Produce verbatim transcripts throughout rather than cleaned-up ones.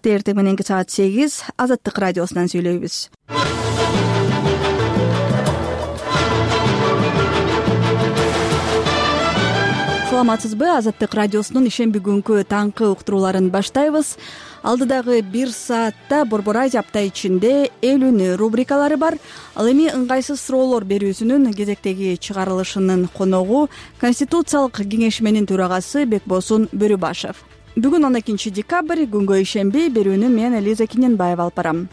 Эртең мененки саат сегиз Азаттык радиосунан сүйлөйбүз. Саламатсызбы? Азаттык радиосунун ишемби күнкү таңкы уктурууларын баштайбыз. Алдыдагы бир саатта Борбор Азия апта ичинде эл үнү рубрикалары бар. Ал эми ыңгайсыз суроолор берүүсүнүн кезектеги чыгарылышынын коногу Конституциялык кеңешменин төрагасы Бекбосун Бөрүбашев. Бүгүн он экинчи декабрь, күнгө ишемби. Берүүнү мен Элиза Киненбаева алып барам.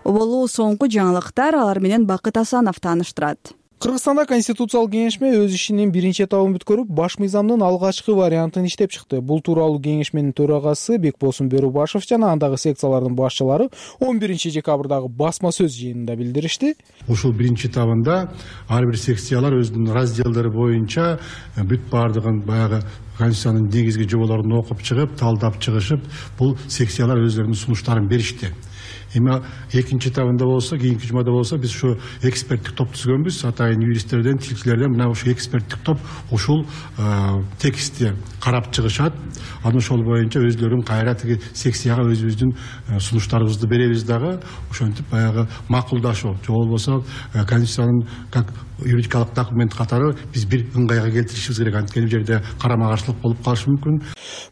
Оболу соңку жаңылыктар, алар менен Бакыт Асанов тааныштырат. Кыргызстанда Конституциялык кеңешме өз ишинин биринчи этабын бүткөрүп, баш мыйзамдын алгачкы вариантын иштеп чыкты. Бул тууралуу кеңешменин төрагасы Бекбосун Бөрүбашев жана андагы секциялардын башчылары он биринчи декабрдагы басма сөз жыйынында билдиришти. Ушул биринчи этабында ар бир секциялар өзүнүн разделдери боюнча бүт баардыгын баягы Конституциянын негизги жоболорун окуп чыгып, талдап чыгышып, бул секциялар өзлөрүнүн сунуштарын беришти. Эми экинчи этабында болсо, кийинки жумада болсо, биз ушу эксперттик топ түзгөнбүз. Атайын юристтерден, тилчилерден мына ушу эксперттик топ ушул текстти карап чыгышат. Анан ошол боюнча өзлөрүн кайра тиги секцияга өзүбүздүн сунуштарыбызды беребиз дагы. Ошентип баягы макулдашуу, же болбосо Конституциянын как юридикалык документ катары биз бир ыңгайга келтиришибиз керек. Анткени бул жерде карама каршылык болуп калышы мүмкүн.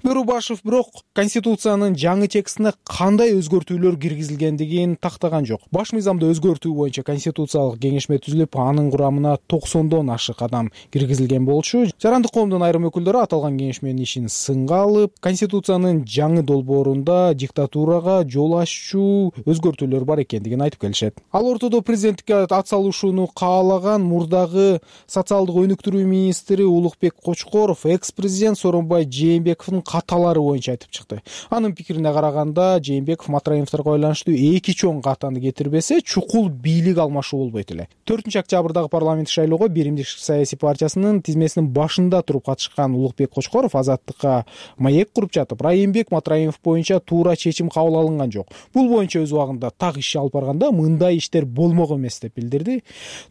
Бөрүбашев бирок Конституциянын жаңы текстине кандай өзгөртүүлөр киргизилгендигин тактаган жок. Баш мыйзамды өзгөртүү боюнча Конституциялык кеңешме түзүлүп, анын курамына токсондон ашык адам киргизилген болчу. Жарандык коомдун айрым өкүлдөрү аталган кеңешменин ишин сынга алып, Конституциянын жаңы долбоорунда диктатурага жол аччу өзгөртүүлөр бар экендигин айтып келишет. Ал ортодо президенттикке ат салышууну каалаган мурдагы социалдык өнүктүрүү министри Улукбек Кочкоров экс-президент Сооронбай Жээнбековдун каталары боюнча айтып чыкты. Анын пикирине караганда, Жээнбеков Матраимовдорго байланыштуу эки чоң катаны кетирбесе, чукул бийлик алмашуу болбойт эле. төртүнчү октябрдагы парламенттик шайлоого Биримдик саясий партиясынын тизмесинин башында туруп катышкан Улукбек Кочкоров Азаттыкка маек куруп жатып, Райымбек Матраимов боюнча туура чечим кабыл алынган жок. Бул боюнча өз убагында так иш алып барганда мындай иштер болмок эмес деп билдирди.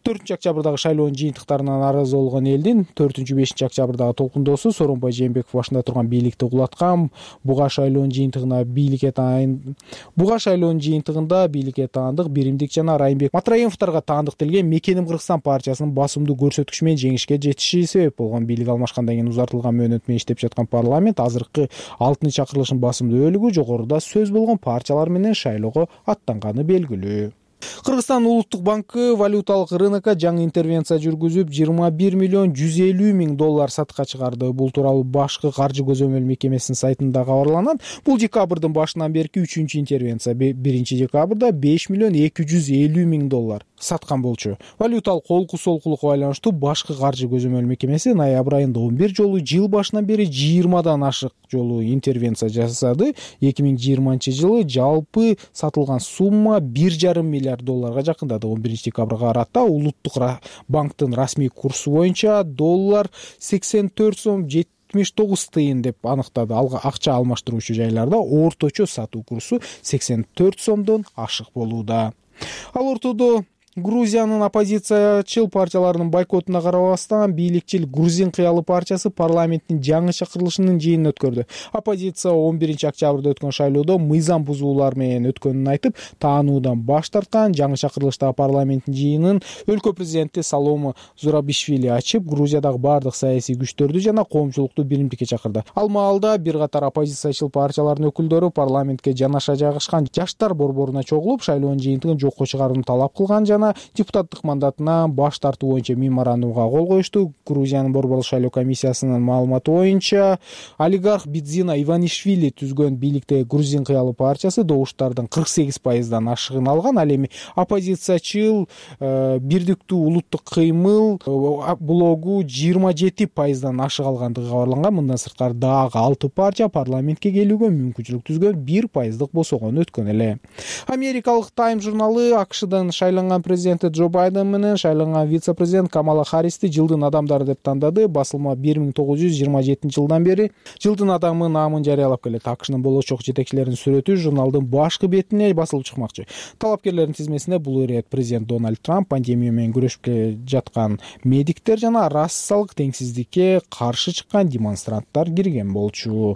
төртүнчү октябрдагы шайлоонун жыйынтыктарынан нааразы болгон элдин төртүнчү бешинчи октябрдагы толкундоосу Сооронбай Жээнбеков башында турган бийликти кулаткан. Буга шайлоонун жыйынтыгына бийликке таан Буга шайлоонун жыйынтыгында бийликке таандык Биримдик жана Райымбек Матраимовдорго таандык делген Мекеним Кыргызстан партиясынын басымдуу көрсөткүчү менен жеңишке жетиши себеп болгон. Бийлик алмашкандан кийин узартылган мөөнөт менен иштеп жаткан парламент азыркы алтынчы чакырылыштын басымдуу бөлүгү жогоруда сөз болгон партиялар менен шайлоого аттанганы белгилүү. Кыргызстан Улуттук банкы валюталык рынокко жаңы интервенция жүргүзүп, жыйырма бир миллион жүз элүү миң доллар сатка чыгарды. Бул тууралуу башкы каржы көзөмөл мекемесинин сайтында кабарланат. Бул декабрдын башынан берки үчүнчү интервенция. биринчи декабрда беш миллион эки жүз элүү миң доллар саткан болчу. Валюталык колку солкулукка байланыштуу башкы каржы көзөмөл мекемеси ноябрь айында он бир жолу, жыл башынан бери жыйырмадан ашык жолу интервенция жасады. эки миң жыйырманчы жылы жалпы сатылган сумма бир жарым миллиард долларга жакындады. он биринчи декабрга карата Улуттук банктын расмий курсу боюнча доллар сексен төрт сом жетимиш тогуз тыйын деп аныктады. Акча алмаштыруучу жайларда орточо сатуу курсу сексен төрт сомдон ашык болууда. Ал ортодо Грузиянын оппозициячыл партияларынын бойкотуна карабастан бийликчил Грузин кыялы партиясы парламенттин жаңы чакырылышынын жыйынын өткөрдү. Оппозиция он биринчи октябрда өткөн шайлоодо мыйзам бузуулар менен өткөнүн айтып, таануудан баш тарткан. Жаңы чакырылыштагы парламенттин жыйынын өлкө президенти Саломо Зурабишвили ачып, Грузиядагы бардык саясий күчтөрдү жана коомчулукту биримдикке чакырды. Ал маалда бир катар оппозициячыл партиялардын өкүлдөрү парламентке жанаша жайгашкан жаштар борборуна чогулуп, шайлоонун жыйынтыгын жокко чыгарууну талап кылган жана депутаттык мандатынан баш тартуу боюнча меморандумга кол коюшту. Грузиянын борборлук шайлоо комиссиясынын маалыматы боюнча, олигарх Бидзина Иванишвили түзгөн бийликтеги Грузин кыялы партиясы добуштардын кырк сегиз пайыздан ашыгын алган. Ал эми оппозициячыл э, бирдиктүү улуттук кыймыл э, блогу жыйырма жети пайыздан ашык алгандыгы кабарланган. Мындан сырткары дагы алты партия парламентке келүүгө мүмкүнчүлүк түзгөн, бир пайыздык босогон өткөн эле. Америкалык Time журналы АКШдан шайланган президенти Джо Байден менен шайланган вице-президент Камала Харристи жылдын адамдары деп тандады. Басылма бир миң тогуз жүз жыйырма жетинчи жылдан бери жылдын адамы наамын жарыялап келет. АКШнын болочок жетекчилеринин сүрөтү журналдын башкы бетине басылып чыкмакчы. Талапкерлердин тизмесине бул ирет президент Дональд Трамп, пандемия менен күрөшүп жаткан медиктер жана расалык теңсиздикке каршы чыккан демонстранттар кирген болчу.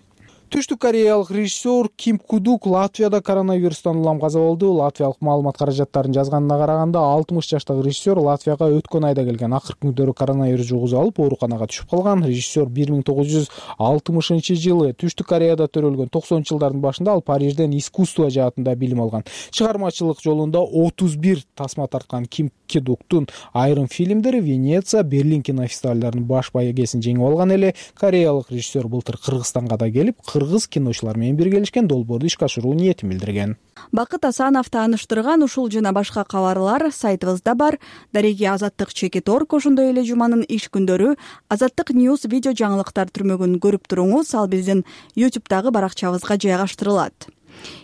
Түштүк кореялык режиссер Ким Кудук Латвияда коронавирустан улам каза болду. Латвиялык маалымат каражаттарынын жазганына караганда алтымыш жаштагы режиссер Латвияга өткөн айда келген. Акыркы күндөрү коронавирус жугузуп алып ооруканага түшүп калган. Режиссер бир миң тогуз жүз алтымышынчы жылы Түштүк Кореяда төрөлгөн. токсонунчу жылдардын башында ал Парижден искусство жаатында билим алган. Чыгармачылык жолунда отуз бир тасма тарткан Ким Кудуктун айрым фильмдери Венеция, Берлин кинофестивалдарынын баш байгесин жеңип алган эле. Кореялык режиссер былтыр Кыргызстанга да келип, кыргыз киночулар менен биргелешкен долбоорду ишке ашыруу ниетин билдирген. Бакыт Асанов тааныштырган ушул жана башка кабарлар сайтыбызда бар. Дареги Азаттык чекит орг ошондой эле жуманын иш күндөрү Азаттык Ньюс видео жаңылыктар түрмөгүн көрүп туруңуз. Ал биздин ютубтагы баракчабызга жайгаштырылат.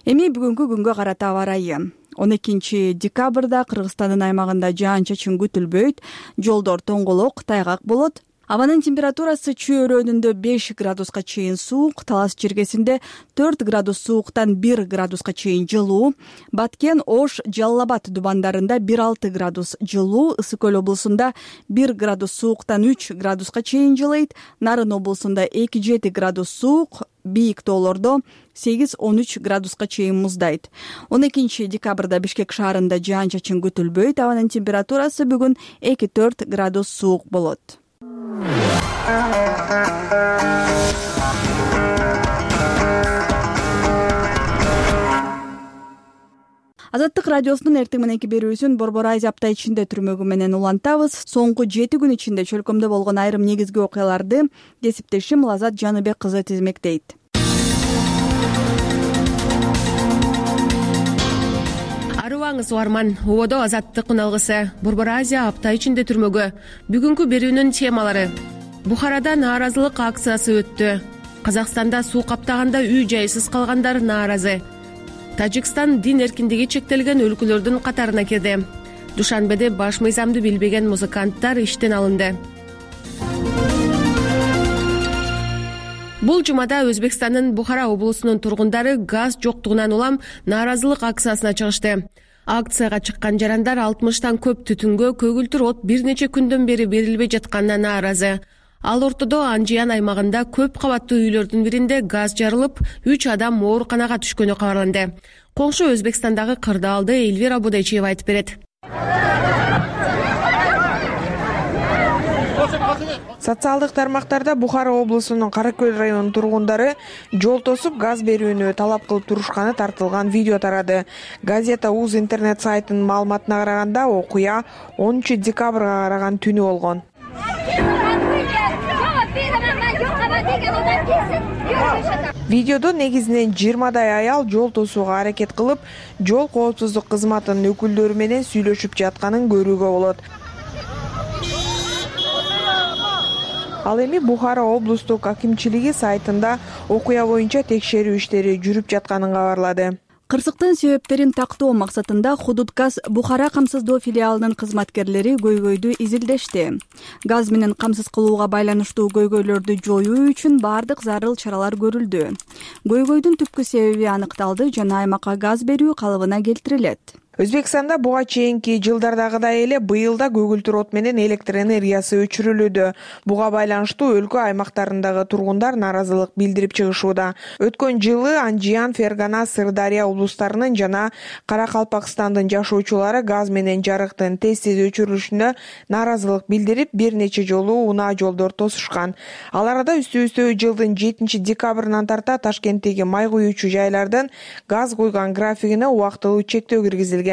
Эми бүгүнкү күнгө карата аба ырайы. он экинчи декабрда Кыргызстандын аймагында жаан-чачын күтүлбөйт, жолдор тоңголок, тайгак болот. Абанын температурасы Чүй өрөөнүндө беш градуска чейин суук, Талас жергесинде төрт градус сууктан бир градуска чейин жылуу, Баткен, Ош, Жалал Абад дубандарында бир алты градус жылуу, Ысык көл облусунда бир градус сууктан үч градуска чейин жылыйт, Нарын облусунда эки жети градус суук, бийик тоолордо сегиз он үч градуска чейин муздайт. он экинчи декабрда Бишкек шаарында жаан-чачын күтүлбөйт, абанын температурасы бүгүн эки төрт градус суук болот. Азаттык радиосунун эртең мененки берүүсүн Борбор Азия апта ичинде түрмөгү менен улантабыз. Соңку жети күн ичинде чөлкөмдө болгон айрым негизги окуяларды кесиптешим Лазат Жаныбек кызы тизмектейт. Арыбаңыз угарман, ободо Азаттык үналгысы Борбор Азия апта ичинде түрмөгө. Бүгүнкү берүүнүн темалары: Бухарада нааразылык акциясы өттү. Казакстанда суу каптаганда үй жайсыз калгандар нааразы. Тажикстан дин эркиндиги чектелген өлкөлөрдүн катарына кирди. Душанбеде баш мыйзамды билбеген музыканттар иштен алынды. Бул жумада Өзбекстандын Бухара облусунун тургундары газ жоктугунан улам нааразылык акциясына чыгышты. Акцияга чыккан жарандар алтымыштан көп түтүнгө көгүлтүр от бир нече күндөн бери берилбей жатканына нааразы. Ал ортодо Анжиян аймагында көп кабаттуу үйлөрдүн биринде газ жарылып, үч адам ооруканага түшкөнү кабарланды. Коңшу Өзбекстандагы кырдаалды Эльвира Будайчиева айтып берет. Социалдык тармактарда Бухара облусунун Каракөл районунун тургундары жол тосуп газ берүүнү талап кылып турушканы тартылган видео тарады. Газета УЗ интернет сайтынын маалыматына караганда окуя онунчу декабрга караган түнү болгон. Видеодо негизинен жыйырмадай аял жол тосууга аракет кылып, жол коопсуздук кызматынын өкүлдөрү менен сүйлөшүп жатканын көрүүгө болот. Ал эми Бухара облустук акимчилиги сайтында окуя боюнча текшерүү иштери жүрүп жатканын кабарлады. Кырсыктын себептерин тактоо максатында Худудгаз Бухара камсыздоо филиалынын кызматкерлери көйгөйдү изилдешти. Газ менен камсыз кылууга байланыштуу көйгөйлөрдү жоюу үчүн бардык зарыл чаралар көрүлдү. Көйгөйдүн түпкү себеби аныкталды жана аймакка газ берүү калыбына келтирилет. Өзбекстанда буга чейинки жылдардагыдай эле быйыл да көгүлтүр от менен электр энергиясы өчүрүлүүдө. Буга байланыштуу өлкө аймактарындагы тургундар нааразылык билдирип чыгышууда. Өткөн жылы Анжиян, Фергана, Сырдария облустарынын жана Каракалпакстандын жашоочулары газ менен жарыктын тез-тез өчүрүлүшүнө нааразылык билдирип, бир нече жолу унаа жолдор тосушкан. Ал арада үстү-үстө жылдын жетинчи декабрынан тарта Ташкенттеги май куюучу жайлардын газ куйган графигине убактылуу чектөө киргизилген.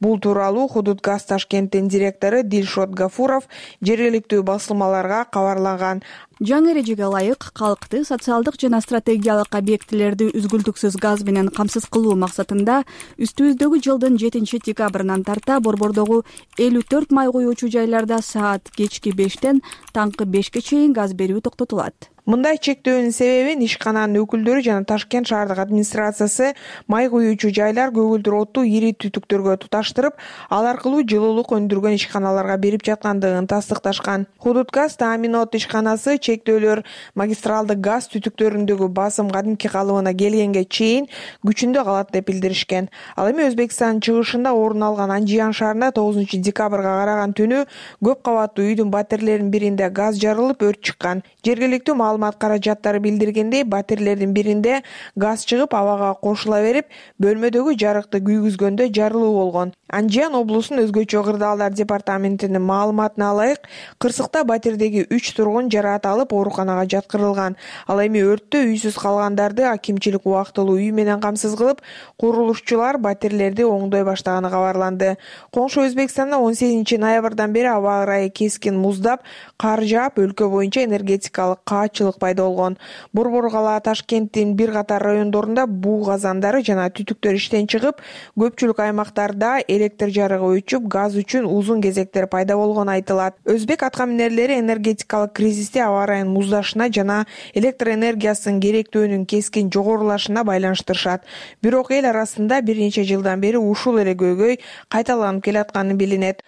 Бул тууралуу Худудгаз Ташкенттин директору Дилшот Гафуров жергиликтүү басылмаларга кабарлаган. Жаңы эрежеге ылайык калкты социалдык жана стратегиялык объектилерди үзгүлтүксүз газ менен камсыз кылуу максатында үстүбүздөгү жылдын жетинчи декабрынан тарта борбордогу элүү төрт май куюучу жайларда саат кечки бештен таңкы бешке чейин газ берүү токтотулат. Мындай чектөөнүн себебин ишкананын өкүлдөрү жана Ташкент шаардык администрациясы май куюучу жайлар көгүлтүр отту ири түтүктөргө туташтырып, ал аркылуу жылуулук өндүргөн ишканаларга берип жаткандыгын тастыкташкан. Худудгаз Тааминот ишканасы чектөөлөр магистралдык газ түтүктөрүндөгү басым кадимки калыбына келгенге чейин күчүндө калат деп билдиришкен. Ал эми Өзбекстандын чыгышында орун алган Анжиян шаарында тогузунчу декабрга караган түнү көп кабаттуу үйдүн батирелеринин биринде газ жарылып, өрт чыккан. Жергиликтүү маалымат каражаттары билдиргендей, батирелердин биринде газ чыгып абага кошула берип, бөлмөдөгү жарыкты күйгүзгөндө жарылуу болгон. Анжиян облусунун өзгөчө кырдаалдар департаментинин маалыматына ылайык, Кырсыкта батирдеги үч тургун жараат алып ооруканага жаткырылган. Ал эми өрттө үйсүз калгандарды акимчилик убактылуу үй менен камсыз кылып, курулушчулар батирлерди оңдой баштаганы кабарланды. Коңшу Өзбекстанда он сегизинчи ноябрдан бери аба ырайы кескин муздап, кар жаап, өлкө боюнча энергетикалык каатчылык пайда болгон. Борбор кала Ташкенттин бир катар райондорунда буу казандары жана түтүктөр иштен чыгып, көпчүлүк аймактарда электр жарыгы өчүп, газ үчүн узун кезектер пайда болгону айтылат. Өзбек атка минерлери энергетикалык кризисти аба ырайынын муздашына жана электр энергиясынын керектөөнүн кескин жогорулашына байланыштырышат. Бирок эл арасында бир нече жылдан бери ушул эле көйгөй кайталанып келатканы билинет.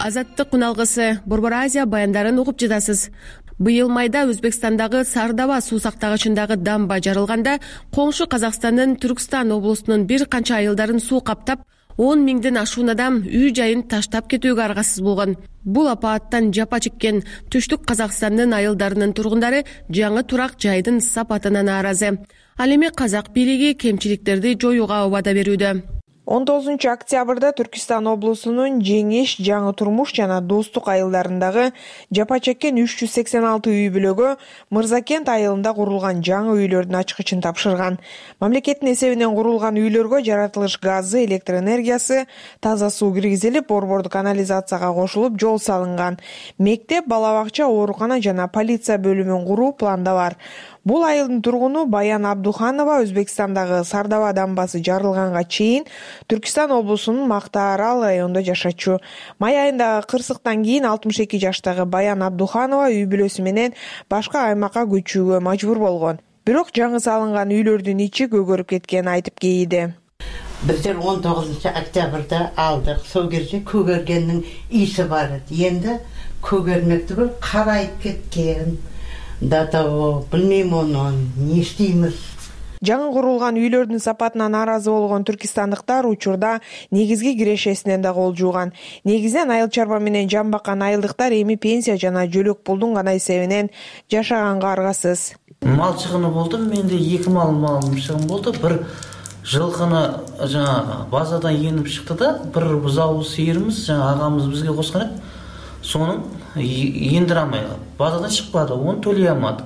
Азаттык күналгысы Борбор Азия баяндарын угуп жатасыз. Быйыл майда Өзбекстандагы Сардаба суу сактагычындагы дамба жарылганда, коңшу Казакстандын Түркстан облусунун бир канча айылдарын суу каптап, он миңден ашуун адам үй жайын таштап кетүүгө аргасыз болгон. Бул апааттан жапа чеккен Түштүк Казакстандын айылдарынын тургундары жаңы турак жайдын сапатына нааразы. Ал эми казак бийлиги кемчиликтерди жоюуга убада берүүдө. он тогузунчу октябрда Түркистан облусунун Жеңиш, Жаңы Турмуш жана Достук айылдарындагы жапа чеккен үч жүз сексен алты үй бүлөгө Мырзакент айылында курулган жаңы үйлөрдүн ачкычын тапшырган. Мамлекеттин эсебинен курулган үйлөргө жаратылыш газы, электр энергиясы, таза суу киргизилип, борбордук канализацияга кошулуп, жол салынган. Мектеп, бала бакча, оорукана жана полиция бөлүмүн куруу планда бар. Бул айылдын тургуну Баян Абдуханова Өзбекстандагы Сардаба дамбасы жарылганга чейин Түркистан облусунун Мактаарал районунда жашачу. Май айындагы кырсыктан кийин алтымыш эки жаштагы Баян Абдуханова үй бүлөсү менен башка аймакка көчүүгө мажбур болгон. Бирок жаңы салынган үйлөрдүн ичи көгөрүп кеткенин айтып кейиди. Биздер он тогузунчу октябрда алдык. Сол кезде көгөргендин иси бар эди. Энди көгөрмөк түгүл карайып кеткен. Да того, билмейм оны, не иштеймиз. Жаңы курулган үйлөрдүн сапатына нааразы болгон түркистандыктар учурда негизги кирешесинен да кол жууган. Негизинен айыл чарба менен жан баккан айылдыктар эми пенсия жана жөлөк пулдун гана эсебинен жашаганга аргасыз. Мал чыгыны болду, менде эки мал малым чыгын болду. Бир жылкыны жана базадан енип чыкты да, бир бузау сыйырыбыз жана агамыз бизге кошкон экен. Сонун ендире алмай базадан чыкпады, оны төлөй алмадык.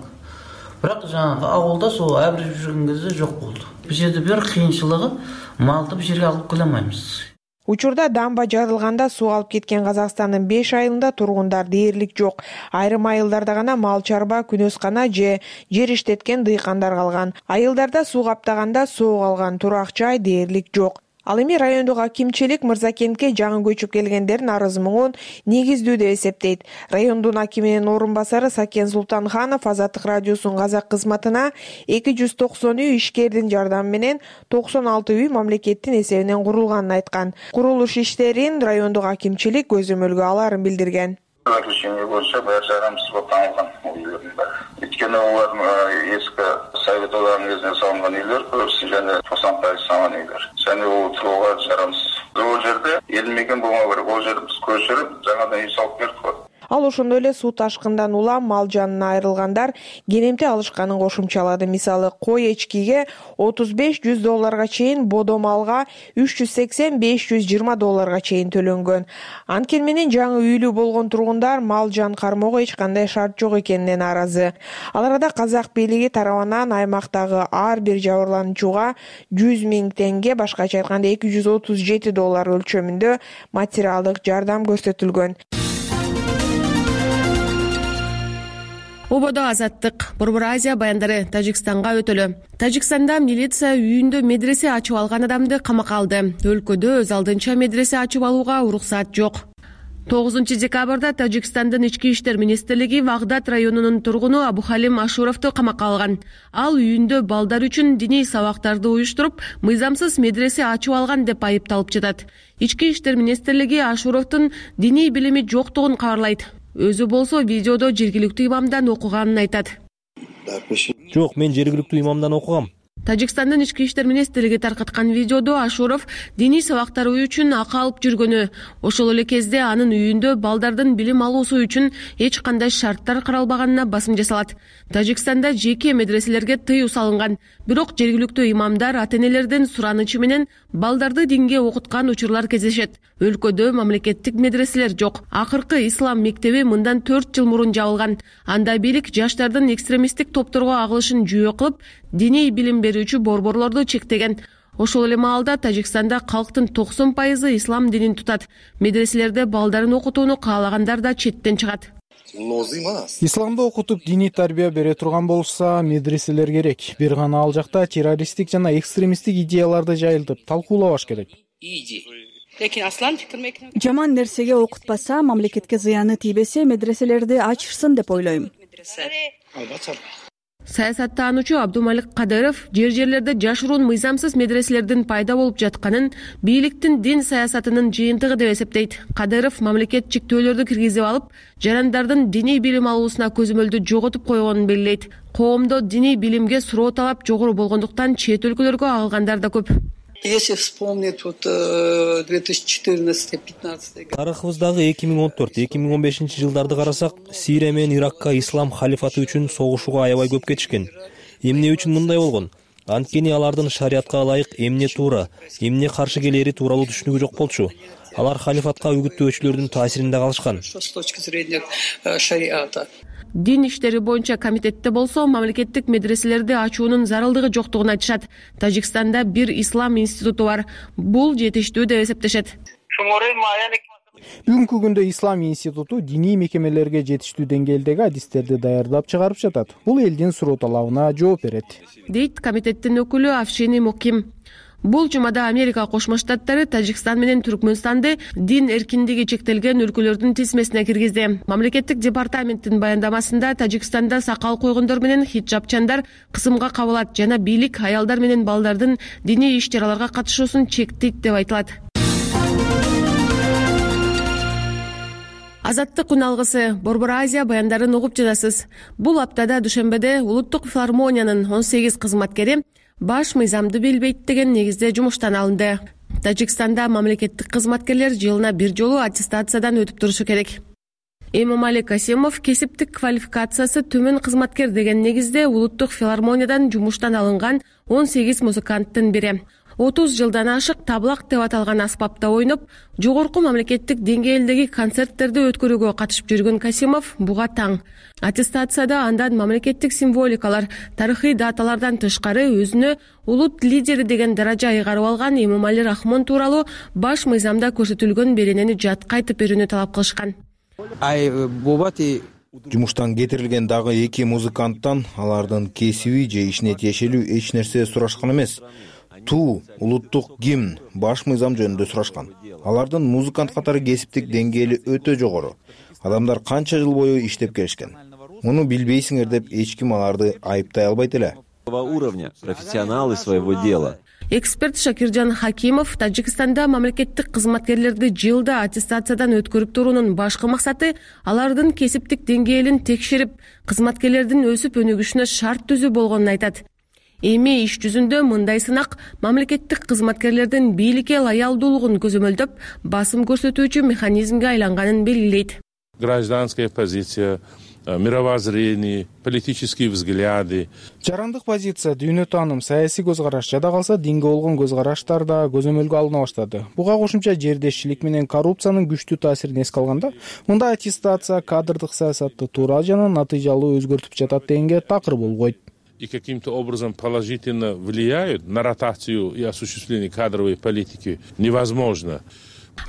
Бирок жанагы ауылда сол абреп жүргөн кезде жок болду. Бул жерде бир кыйынчылыгы малды бул жерге алып келе алмайбыз. Учурда дамба жарылганда суу алып кеткен Казакстандын беш айылында тургундар дээрлик жок. Айрым айылдарда гана мал чарба, күнөскана же жер иштеткен дыйкандар калган. Айылдарда суу каптаганда соо калган, турак жай дээрлик жок. Ал эми райондук акимчилик Мырзакентке жаңы көчүп келгендердин арыз муңун негиздүү деп эсептейт. Райондун акиминин орун басары Сакен Султанханов Азаттык радиосунун казак кызматына эки жүз токсон үй ишкердин жардамы менен токсон алты үй мамлекеттин эсебинен курулганын айткан. Курулуш иштерин райондук акимчилик көзөмөлгө аларын билдирген. Заключение боюнча баары жарамсыз болуп табылган үйлөрдүн баары. Өйткөнү алар эски советовдун кезинде салынган үйлөр, көбүсү жана токсон пайыз салынган үйлөр. Және ол турууга жарамсыз. Бул жерде эл мекен болмоо керек. Ол жерди биз көчүрүп, жаңадан үй салып бердик. Ал ошондой эле суу ташкындан улам мал жанына айрылгандар кенемти алышканын кошумчалады. Мисалы, кой эчкиге отуз беш жүз долларга чейин, бодо малга үч жүз сексен беш жүз жыйырма долларга чейин төлөнгөн. Анткени менен жаңы үйлүү болгон тургундар мал жан кармоого эч кандай шарт жок экенине нааразы. Ал арада казак бийлиги тарабынан аймактагы ар бир жабырлануучуга жүз миң теңге, башкача айтканда эки жүз отуз жети доллар өлчөмүндө материалдык жардам көрсөтүлгөн. Ободо Азаттык Борбор Азия баяндары Тажикстанга өтөлү. Тажикстанда милиция үйүндө медресе ачып алган адамды камакка алды. Өлкөдө өз алдынча медресе ачып алууга уруксат жок. тогузунчу декабрда Тажикстандын ички иштер министрлиги Вагдат районунун тургуну Абухалим Ашуровду камакка алган. Ал үйүндө балдар үчүн диний сабактарды уюштуруп, мыйзамсыз медресе ачып алган деп айыпталып жатат. Ички иштер министрлиги Ашуровдун диний билими жоктугун кабарлайт. Өзү болсо видеодо жергиликтүү имамдан окуганын айтат. Жок, мен жергиликтүү имамдан окугам. Тажикстандын ички иштер министрлиги таркаткан видеодо Ашуров диний сабактар үчүн акы алып жүргөнү, ошол эле кезде анын үйүндө балдардын билим алуусу үчүн эч кандай шарттар каралбаганына басым жасалат. Тажикстанда жеке медреселерге тыюу салынган, бирок жергиликтүү имамдар ата-энелердин суранычы менен балдарды динге окуткан учурлар кездешет. Өлкөдө мамлекеттик медреселер жок. Акыркы ислам мектеби мындан төрт жыл мурун жабылган. Анда бийлик жаштардын экстремисттик топторго агылышын жүйө кылып, диний билим берүүчү борборлорду чектеген. Ошол эле маалда Тажикстанда калктын токсон пайызы ислам динин тутат. Медреселерде балдарын окутууну каалагандар да четтен чыгат. Исламды окутуп диний тарбия бере турган болушса, медреселер керек. Бир гана ал жакта террористтик жана экстремисттик идеяларды жайылтып талкуулабаш керек. Жаман нерсеге окутпаса, мамлекетке зыяны тийбесе, медреселерди ачышсын деп ойлойм. Саясаттануучу Абдумалик Кадыров жер жерлерде жашыруун мыйзамсыз медреселердин пайда болуп жатканын бийликтин дин саясатынын жыйынтыгы деп эсептейт. Кадыров мамлекет чектөөлөрдү киргизип алып, жарандардын диний билим алуусуна көзөмөлдү жоготуп койгонун белгилейт. Коомдо диний билимге суроо талап жогору болгондуктан чет өлкөлөргө агылгандар да көп. Если вспомнить вот две тысячи четырнадцатый пятнадцатый год. Тарыхыбыздагы эки миң он төрт эки миң он бешинчи жылдарды карасак, Сирия менен Иракка ислам халифаты үчүн согушууга аябай көп кетишкен. Эмне үчүн мындай болгон? Анткени алардын шариатка ылайык эмне туура, эмне каршы келери тууралуу түшүнүгү жок болчу. Алар халифатка үгүттөөчүлөрдүн таасиринде калышкан. С точки зрения шариата. Дин иштери боюнча комитетте болсо, мамлекеттик медреселерди ачуунун зарылдыгы жоктугун айтышат. Тажикстанда бир ислам институту бар. Бул жетиштүү деп эсептешет. Бүгүнкү күндө ислам институту диний мекемелерге жетиштүү деңгээлдеги адистерди даярдап чыгарып жатат. Бул элдин суроо талабына жооп берет, дейт комитеттин өкүлү Афшини Моким. Бул жумада Америка Кошмо Штаттары Тажикстан менен Түркмөнстанды дин эркиндиги чектелген өлкөлөрдүн тизмесине киргизди. Мамлекеттик департаменттин баяндамасында Тажикстанда сакал койгондор менен хиджабчандар кысымга кабылат жана бийлик аялдар менен балдардын диний иш-чараларга катышуусун чектейт деп айтылат. Азаттык күн алгысы, Борбор Азия баяндарын угуп жатасыз. Бул аптада Душембеде Улуттук филармониянын он сегиз кызматкери баш мыйзамды билбейт деген негизде жумуштан алынды. Тажикстанда мамлекеттик кызматкерлер жылына бир жолу аттестациядан өтүп турушу керек. Эмомали Касимов кесиптик квалификациясы төмөн кызматкер деген негизде Улуттук филармониядан жумуштан алынган он сегиз музыканттын бири. отуз жылдан ашык таблак деп аталган аспапта ойноп, жогорку мамлекеттик деңгээлдеги концерттерди өткөрүүгө катышып жүргөн Касимов буга таң. Аттестацияда андан мамлекеттик символикалар, тарыхый даталардан тышкары өзүнө улут лидери деген даража ыйгарып алган Эмомали Рахмон тууралуу баш мыйзамда көрсөтүлгөн беренени жатка айтып берүүнү талап кылышкан. Жумуштан кетирилген дагы эки музыканттан алардын кесиби же ишине тиешелүү эч нерсе сурашкан эмес. Туу, улуттук гимн, баш мыйзам жөнүндө сурашкан. Алардын музыкант катары кесиптик деңгээли өтө жогору. Адамдар канча жыл бою иштеп келишкен. Муну билбейсиңер деп эч ким аларды айыптай албайт эле. Уровня профессионалы своего дела. Эксперт Шакиржан Хакимов Тажикстанда мамлекеттик кызматкерлерди жылда аттестациядан өткөрүп туруунун башкы максаты алардын кесиптик деңгээлин текшерип, кызматкерлердин өсүп өнүгүшүнө шарт түзүү болгонун айтат. Эми иш жүзүндө мындай сынак мамлекеттик кызматкерлердин бийликке лоялдуулугун көзөмөлдөп, басым көрсөтүүчү механизмге айланганын белгилейт. Гражданская позиция, мировоззрение, политические взгляды. Жарандык позиция, дүйнө тааным, саясий көз караш, жада калса динге болгон көз караштар да көзөмөлгө алына баштады. Буга кошумча жердешчилик менен коррупциянын күчтүү таасирин эске алганда, мындай аттестация кадрдык саясатты туура жана натыйжалуу өзгөртүп жатат дегенге такыр болбойт. И каким-то образом положительно влияют на ротацию и осуществление кадровой политики невозможно.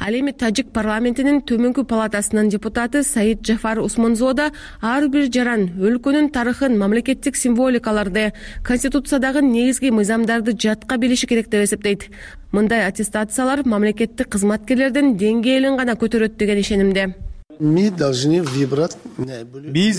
Ал эми Тажик парламентинин төмөнкү палатасынын депутаты Саид Джафар Усмонзода ар бир жаран өлкөнүн тарыхын, мамлекеттик символикаларды, конституциядагы негизги мыйзамдарды жатка билиши керек деп эсептейт. Мындай аттестациялар мамлекеттик кызматкерлердин деңгээлин гана көтөрөт деген ишенимде. Биз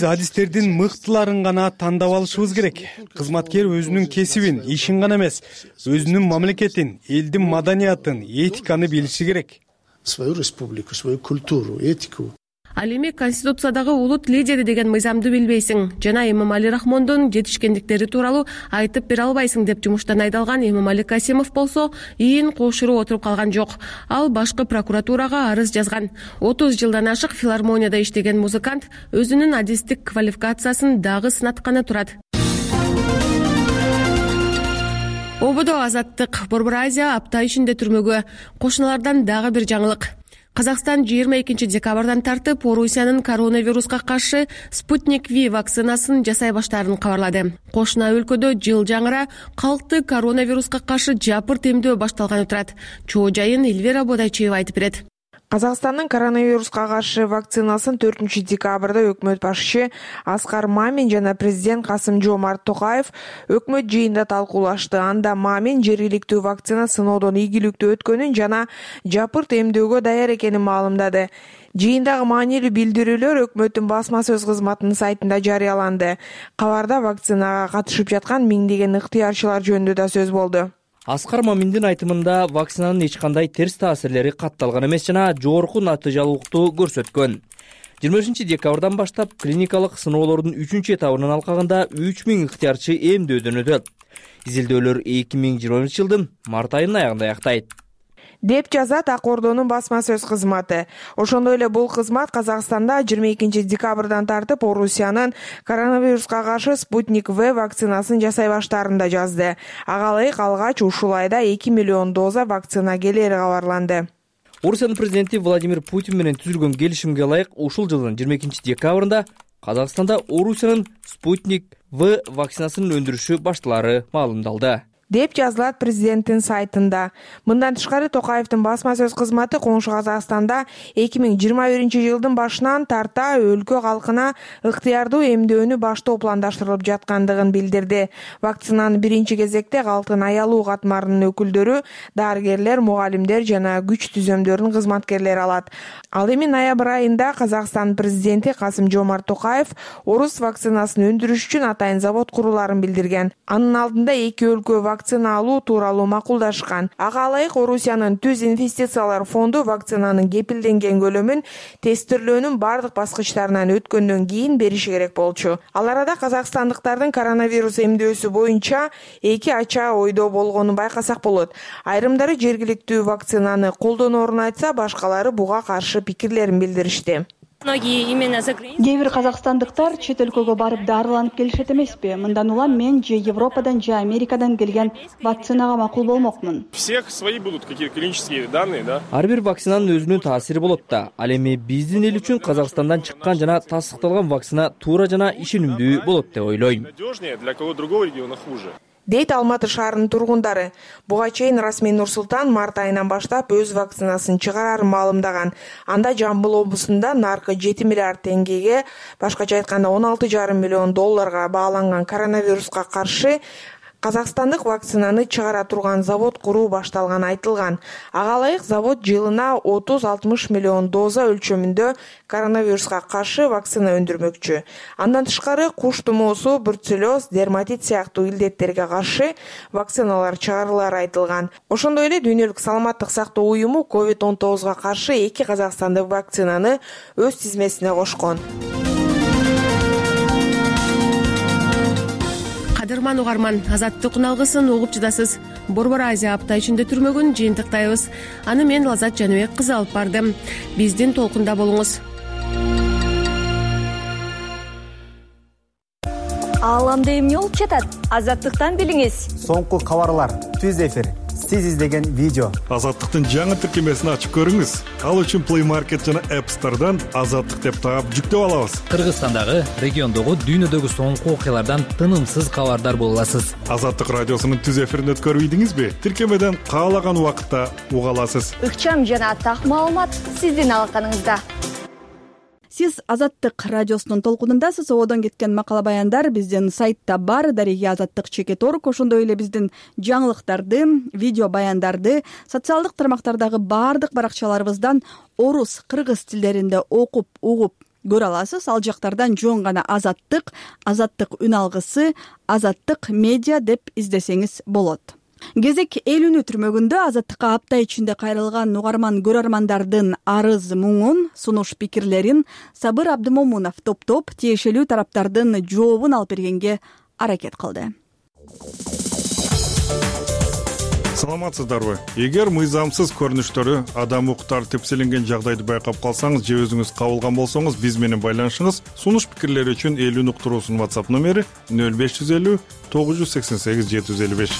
адистердин мыктыларын гана тандап алышыбыз керек. Кызматкер өзүнүн кесибин, ишин гана эмес, өзүнүн мамлекетин, элдин маданиятын, этиканы билиши керек. Свою республику, свою культуру, этику. Ал эми Конституциядагы улут лидери деген мыйзамды билбейсиң жана Эмомали Рахмондун жетишкендиктери тууралуу айтып бере албайсың деп жумуштан айдалган Эмомали Касимов болсо ийин кошуруп отуруп калган жок. Ал башкы прокуратурага арыз жазган. отуз жылдан ашык филармонияда иштеген музыкант өзүнүн адистик квалификациясын дагы сынатканы турат. Ободо Азаттык Борбор Азия апта ичинде түрмөгө. Кошуналардан дагы бир жаңылык. Казакстан жыйырма экинчи декабрдан тартып Орусиянын коронавируска каршы Спутник V вакцинасын жасай баштаарын кабарлады. Кошуна өлкөдө жыл жаңыра калкты коронавируска каршы жапырт эмдөө башталганы турат. Чоо жайын Эльвира Бодайчиева айтып берет. Казакстандын коронавируска каршы вакцинасын төртүнчү декабрда өкмөт башчы Аскар Мамин жана президент Касым-Жомарт Токаев өкмөт жыйында талкуулашты. Анда Мамин жергиликтүү вакцина сыноодон ийгиликтүү өткөнүн жана жапырт эмдөөгө даяр экенин маалымдады. Жыйындагы маанилүү билдирүүлөр өкмөттүн басма сөз кызматынын сайтында жарыяланды. Кабарда вакцинага катышып жаткан миңдеген ыктыярчылар жөнүндө да сөз болду. Аскар Маминдин айтымында вакцинанын эч кандай терс таасирлери катталган эмес жана жогорку натыйжалуулукту көрсөткөн. жыйырма бешинчи декабрдан баштап клиникалык сыноолордун үчүнчү этабынын алкагында үч миң ыктыярчы эмдөөдөн өтөт. Изилдөөлөр эки миң жыйырма биринчи жылдын март айынын аягында аяктайт деп жазат Ак Ордонун басма сөз кызматы. Ошондой эле бул кызмат Казакстанда жыйырма экинчи декабрдан тартып Орусиянын коронавируска каршы Спутник V вакцинасын жасай баштаарын да жазды. Ага ылайык алгач ушул айда эки миллион доза вакцина келери кабарланды. Орусиянын президенти Владимир Путин менен түзүлгөн келишимге ылайык ушул жылдын жыйырма экинчи декабрында Казакстанда Орусиянын Спутник V вакцинасынын өндүрүшү башталары маалымдалды деп жазылат президенттин сайтында. Мындан тышкары Токаевдин басма сөз кызматы Коңшу Казакстанда эки миң жыйырма биринчи жылдын башынан тарта өлкө калкына ыктыярдуу эмдөөнү баштоо пландаштырылып жаткандыгын билдирди. Вакцинаны биринчи кезекте калктын аялуу катмарынын өкүлдөрү, дарыгерлер, мугалимдер жана күч түзөмдөрүнүн кызматкерлери алат. Ал эми ноябрь айында Казакстан президенти Касым-Жомарт Токаев орус вакцинасын өндүрүш үчүн атайын завод курулаарын билдирген. Анын алдында эки өлкө вакцина алуу тууралуу макулдашкан. Ага ылайык Орусиянын Түз инвестициялар фонду вакцинанын кепилденген көлөмүн тестирлөөнүн бардык баскычтарынан өткөндөн кийин бериши керек болчу. Ал арада казакстандыктардын коронавирус эмдөөсү боюнча эки ача ойдо болгонун байкасак болот. Айрымдары жергиликтүү вакцинаны колдоноорун айтса, башкалары буга каршы пикирлерин билдиришти. Кээ бир казакстандыктар чет өлкөгө барып дарыланып келишет эмеспи? Мындан улам мен же Европадан же Америкадан келген вакцинага макул болмокмун. Всех свои будут какие-то клинические данные, да? Ар бир вакцинанын өзүнүн таасири болот да. Ал эми биздин эл үчүн Казакстандан чыккан жана тастыкталган вакцина туура жана ишенимдүү болот деп ойлойм. Надежнее, для кого другого региона хуже. Дейт Алматы шаарынын тургундары. Буга чейин Расмий Нурсултан март айынан баштап өз вакцинасын чыгарарын маалымдаган. Анда Жамбыл облусунда наркы жети миллиард теңгеге, башкача айтканда он алты жарым миллион долларга бааланган коронавируска каршы казакстандык вакцинаны чыгара турган завод куруу башталганы айтылган. Ага ылайык завод жылына отуз алтымыш миллион доза өлчөмүндө коронавируска каршы вакцина өндүрмөкчү. Андан тышкары куш тумоосу, бруцеллез, дерматит сыяктуу илдеттерге каршы вакциналар чыгарылары айтылган. Ошондой эле Дүйнөлүк саламаттык сактоо уюму ковид он тогузга каршы эки казакстандык вакцинаны өз тизмесине кошкон. Кадырман угарман, Азаттык уналгысын угуп жыдасыз. Борбор Азия апта ичинде түрмөгүн жыйынтыктайбыз. Аны мен Лазат Жаныбек кызы алып бардым. Биздин толкунда болуңуз. Ааламда эмне болуп жатат? Азаттыктан билиңиз. Соңку кабарлар, түз эфир, сиз издеген видео. Азаттыктын жаңы тиркемесин ачып көрүңүз. Ал үчүн Play Market жана App Store'дан Азаттык деп таап жүктөп алабыз. Кыргызстандагы, региондогу, дүйнөдөгү соңку окуялардан тынымсыз кабардар боло аласыз. Азаттык радиосунун түз эфирин өткөрбөйдүңүзбү? Тиркемеден каалаган убакытта уга аласыз. Ыкчам жана так маалымат сиздин алаканыңызда. Сиз Азаттык радиосунун толкунундасыз. Одон кеткен макала баяндар биздин сайтта бар. Дареги Азаттык чекит орг. Ошондой эле биздин жаңылыктарды, видео баяндарды социалдык тармактардагы бардык баракчаларыбыздан орус, кыргыз тилдеринде окуп, угуп көрө аласыз. Ал жактардан жөн гана Азаттык, Азаттык үн алгысы, Азаттык медиа деп издесеңиз болот. кезек эл үнү түрмөгүндө Азаттыкка апта ичинде кайрылган угарман көрөрмандардын арыз муңун, сунуш пикирлерин Сабыр Абдымомунов топтоп тиешелүү тараптардын жообун алып бергенге аракет кылды. Саламатсыздарбы? Эгер мыйзамсыз көрүнүштөрү, адам укуктары тепселенген жагдайды байкап калсаңыз же өзүңүз кабылган болсоңуз, биз менен байланышыңыз. Сунуш пикирлери үчүн эл үн уктуруусунун WhatsApp номери нөл беш жүз элүү тогуз жүз сексен сегиз жети жүз элүү беш.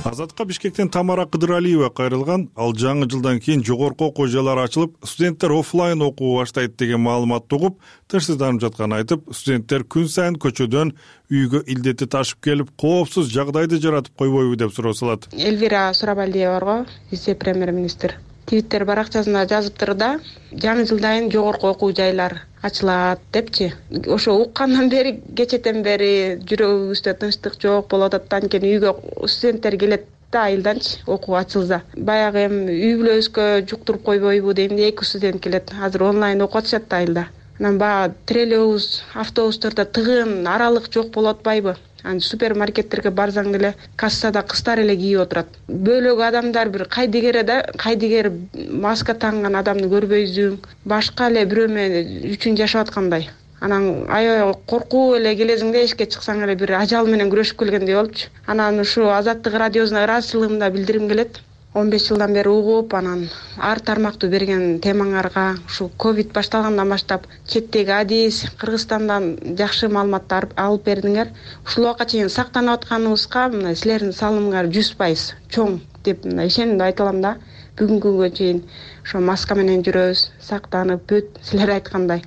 Азаттыкка Бишкектен Тамара Кыдыралиева кайрылган. Ал жаңы жылдан кийин жогорку окуу жайлары ачылып, студенттер оффлайн окуу баштайт деген маалыматты угуп, тынчсызданып жатканын айтып, студенттер күн сайын көчөдөн үйгө илдети ташып келип, коопсуз жагдайды жаратып койбойбу деп суроо салат. Элвира Сурабалдиева барго, вице-премьер-министр Твиттер баракчасында жазыптыр да, жаңы жылдан жогорку окуу жайлар ачылат депчи. Ошо уккандан бери, кечетен бери жүрөгүбүздө тынчтык жок болуп атат. Анткени үйгө студенттер келет да айылданчы окуу ачылса. Баягы эми үй бүлөбүзгө жуктуруп койбойбу дейм де, эки студент келет. Азыр онлайн окуп атышат да айылда. Анан баягы троллейбус, автобустарда тыгын, аралык жок болуп атпайбы? Аны супермаркеттерге барсаң деле кассада кыздар эле кийип отурат. Бөлөк адамдар бир кайдыгере да, кайдыгер маска танган адамды көрбөйсүң. Башка эле бирөө менен үчүн жашап аткандай. Анан аябай коркуп эле келесиң да, эшикке чыксаң эле бир ажал менен күрөшүп келгендей болупчу. Анан ушу Азаттык радиосуна ыраазычылыгымды билдирим келет. он беш жылдан бери угуп, анан ар тармактуу берген темаңарга ушу ковид башталгандан баштап четтеги адис, Кыргызстандан жакшы маалыматтар алып бердиңер. Ушул убакка чейин сактанып атканыбызга мына силердин салымыңар жүз пайыз чоң деп мына ишенимди айта алам да. Бүгүнкү күнгө чейин ошо маска менен жүрөбүз, сактанып, бүт силер айткандай.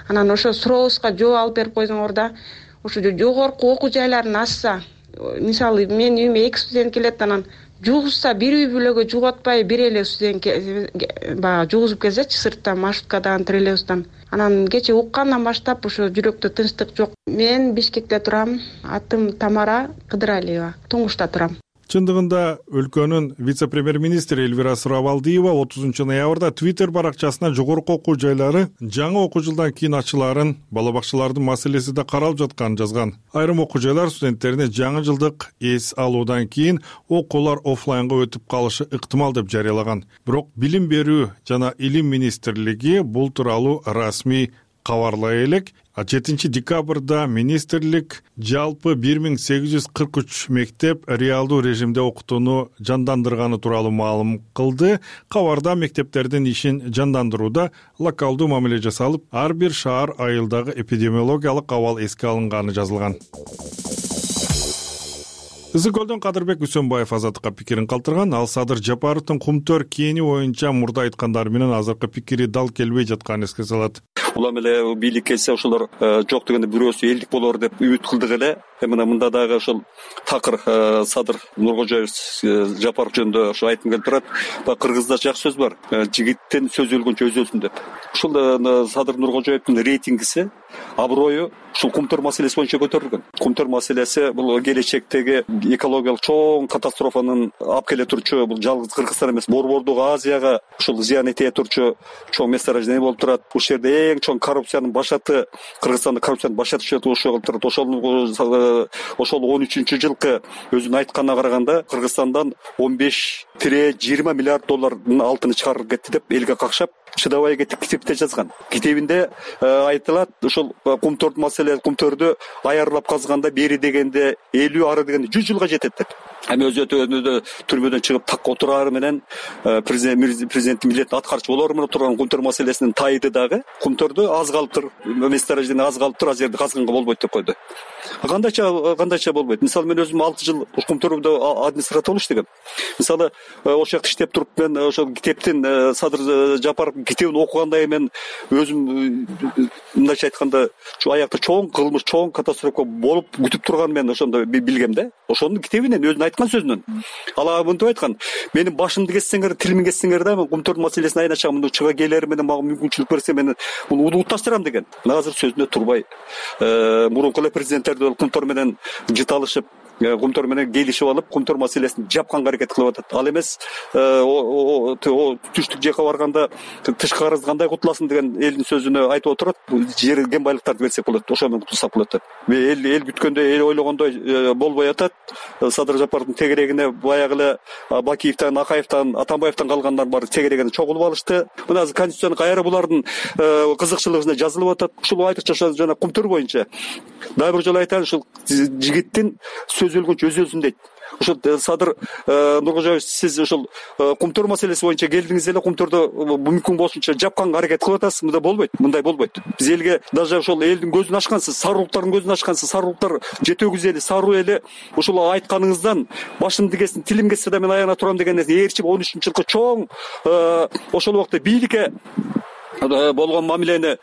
Анан ошо сурообузга жооп алып берип койсоңор да, ошо жогорку окуу жайларын ачса, мисалы мен үйүмө эки студент келет, анан жугузса бир үй бүлөгө жугуп атпай, бир эле студент баягы жугузуп келсечи сырттан, маршруткадан, троллейбустан. Анан кече уккандан баштап ошо жүрөктө тынчтык жок. Мен Бишкекте турам, атым Тамара Кыдыралиева, Туңгушта турам. Чындыгында өлкөнүн вице-премьер-министри Элвира Сурабалдиева отузунчу ноябрда Твиттер баракчасына жогорку окуу жайлары жаңы окуу жылдан кийин ачылаарын, бала бакчалардын маселеси да каралып жатканын жазган. Айрым окуу жайлар студенттерине жаңы жылдык эс алуудан кийин окуулар оффлайнга өтүп калышы ыктымал деп жарыялаган. Бирок Билим берүү жана Илим министрлиги бул тууралуу расмий кабарлай элек. жетинчи декабрда министрлик жалпы бир миң сегиз жүз кырк үч мектеп реалдуу режимде окутууну жандандырганы тууралуу маалым кылды. Кабарда мектептердин ишин жандандырууда локалдуу мамиле жасалып, ар бир шаар айылдагы эпидемиологиялык абал эске алынганы жазылган. Ысык көлдөн Кадырбек Үсөнбаев Азаттыкка пикирин калтырган. Ал Садыр Жапаровдун Кумтөр кээни боюнча мурда айткандары менен азыркы пикири дал келбей жатканын эске салат. Улам эле бийлик келсе ошолор жок дегенде бирөөсү элдик болор деп үмүт кылдык эле. Мына мында дагы ошол такыр Садыр Нуркожоев Жапаров жөнүндө ошо айткым келип турат. Кыргызда жакшы сөз бар. Жигиттин сөзү өлгөнчө өзү өлсүн деп. Ушул Садыр Нуркожоевдин рейтингиси, аброю ушул Кумтөр маселеси боюнча көтөрүлгөн. Кумтөр маселеси бул келечектеги экологиялык чоң катастрофанын алып келе турчу, бул жалгыз Кыргызстан эмес, Борбордук Азияга ушул зыян этие турчу чоң месторождение болуп турат. Ушул жерде эң чоң коррупциянын башаты, Кыргызстанда коррупциянын башаты ушул болуп турат. Ошол ошол он үчүнчү жылкы өзүнүн айтканына караганда Кыргызстандан он беш жыйырма миллиард доллардын алтыны чыгарылып кетти деп элге какшап чыдабай кетип китепте жазган. Китебинде айтылат, ошол Кумтөр маселе, Кумтөрдү аярлап казганда бери дегенде элүү, ары дегенде жүз жылга жетет деп. Эми өзү өтө түрмөдөн чыгып так отурары менен президенттин милдетин аткарчу болору менен турган Кумтөр маселесинин тайды дагы Кумтөрдү аз калыптыр, месторождение аз калыптыр, ал жерде казганга болбойт деп койду. Кандайча кандайча болбойт. Мисалы мен өзүм алты жыл Кумтөрдө администратор болуп иштегем. Мисалы ошол жакта иштеп туруп мен ошол китептин Садыр Жапаров китебин окуганда мен өзүм мындайча айтканда аякта чоң кылмыш, чоң катастрофа болуп күтүп турган мен ошондо билгем да. Ошонун китебинен өзүнүн айткан сөзүнөн. Ал мынтип айткан: менин башымды кессеңер, тилимди кессеңер да, мен Кумтөр маселесин айначам, мындай чыга келер менен мага мүмкүнчүлүк берсе мен муну унутуп таштырам деген. Азыр сөзүнө турбай, мурунку эле президенттерди Кумтөр менен жыталышып, Кумтор менен келишип алып, Кумтор маселесин жапканга аракет кылып атат. Ал эмес түштүк жакка барганда тышкы карызды кандай кутуласың деген элдин сөзүнө айтып отурат. Жер кен байлыктарды берсек болот, ошо менен кутулсак болот деп. Эл эл күткөндөй, эл ойлогондой болбой атат. Садыр Жапаровдун тегерегине баягы эле Бакиевден, Акаевден, Атамбаевден калгандар бар тегерегине чогулуп алышты. Мына азыр конституцияны кайра булардын кызыкчылыгына жазылып атат. Ушул айтыкча жана Кумтор боюнча дагы бир жолу айтайын, ушул жигиттин сөз өлгөнчө өз өзүн дейт. Ушул Садыр Нуркожоевич, сиз ушул Кумтор маселеси боюнча келдиңиз эле, Кумторду мүмкүн болушунча жапканга аракет кылып атасыз. Мындай болбойт, мындай болбойт. Биз элге даже ошол элдин көзүн ачкансыз, сарылыктардын көзүн ачкансыз, сарылыктар жетөгүз эли, саруу эли ушул айтканыңыздан башымды кесин, тилим кессе да мен аягына турам деген ээрчип он үчүнчү жылкы чоң ошол убакта бийликке болгон мамилени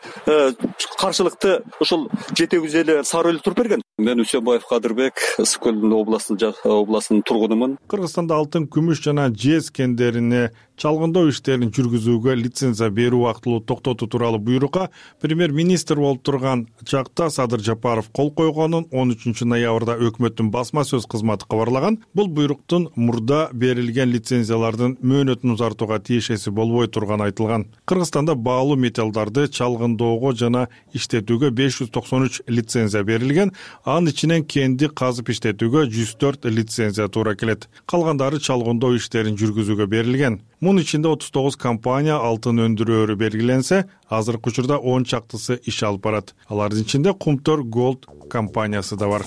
каршылыкты ушул жетегүз эли, саруу эли туруп берген. Мен Үсөнбаев Кадырбек, Ысык көл областынын тургунумун. Кыргызстанда алтын, күмүш жана жез кендерине чалгындоо иштерин жүргүзүүгө лицензия берүү актылуу токтотуу тууралуу буйрукка премьер-министр болуп турган чакта Садыр Жапаров кол койгонун он үчүнчү ноябрда өкмөттүн басма сөз кызматы кабарлаган. Бул буйруктун мурда берилген лицензиялардын мөөнөтүн узартууга тиешеси болбой турганы айтылган. Кыргызстанда баалуу металлдарды чалгындоого жана иштетүүгө беш жүз токсон үч лицензия берилген. Анын ичинен кенди казып иштетүүгө жүз төрт лицензия туура келет. Калгандары чалгындоо иштерин жүргүзүүгө берилген. Мунун ичинде отуз тогуз компания алтын өндүрөөрү белгиленсе, азыркы учурда он чактысы иш алып барат. Алардын ичинде Кумтор Gold компаниясы да бар.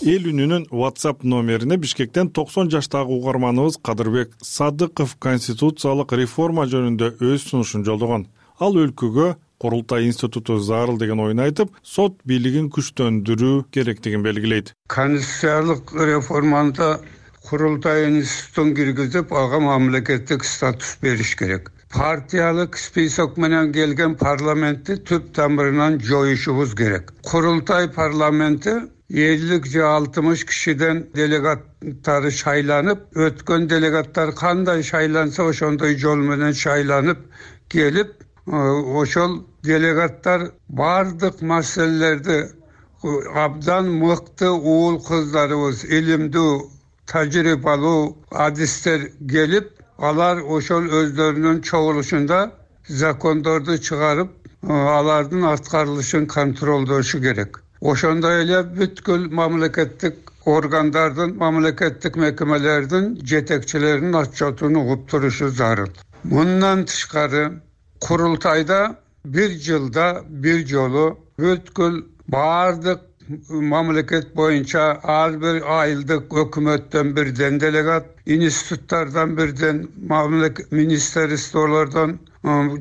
Эл үнүнүн WhatsApp номерине Бишкектен токсон жаштагы угарманыбыз Кадырбек Садыков конституциялык реформа жөнүндө өз сунушун жолдогон. Ал өлкөгө Курултай институту зарыл деген оюн айтып, сот бийлигин күчтөндүрүү керектигин белгилейт. Конституциялык реформада Курултай институтун киргизип, ага мамлекеттик статус бериш керек. Партиялык список менен келген парламентти түп тамырынан жоюшубуз керек. Курултай парламенти элүү же алтымыш кишиден делегаттары шайланып, өткөн делегаттар кандай шайланса ошондой жол менен шайланып келип, ошол делегаттар бардык маселелерди абдан мыкты уул кыздарыбыз, илимдүү, тажрыйбалуу адистер келип, алар ошол өздөрүнүн чогулушунда закондорду чыгарып, алардын аткарылышын контролдошу керек. Ошондой эле бүткүл мамлекеттик органдардын, мамлекеттик мекемелердин жетекчилеринин отчетун угуп турушу зарыл. Мындан тышкары Курултайда бир жылда бир жолу бүткүл бардык мамлекет боюнча ар бир айылдык өкмөттөн бирден делегат, институттардан бирден, мамлекет министрликтөрдөн,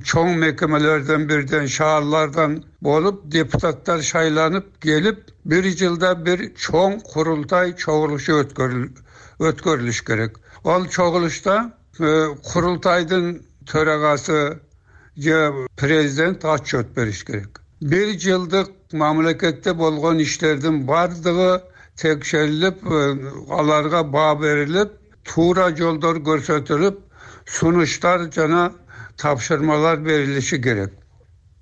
чоң мекемелерден бирден, шаарлардан болуп депутаттар шайланып келип, бир жылда бир чоң курултай чогулушу өткөрүлүш керек. Ал чогулушта курултайдын төрагасы же президент отчет бериш керек. Бир жылдык мамлекетте болгон иштердин бардыгы текшерилип, аларга баа берилип, туура жолдор көрсөтүлүп, сунуштар жана тапшырмалар берилиши керек.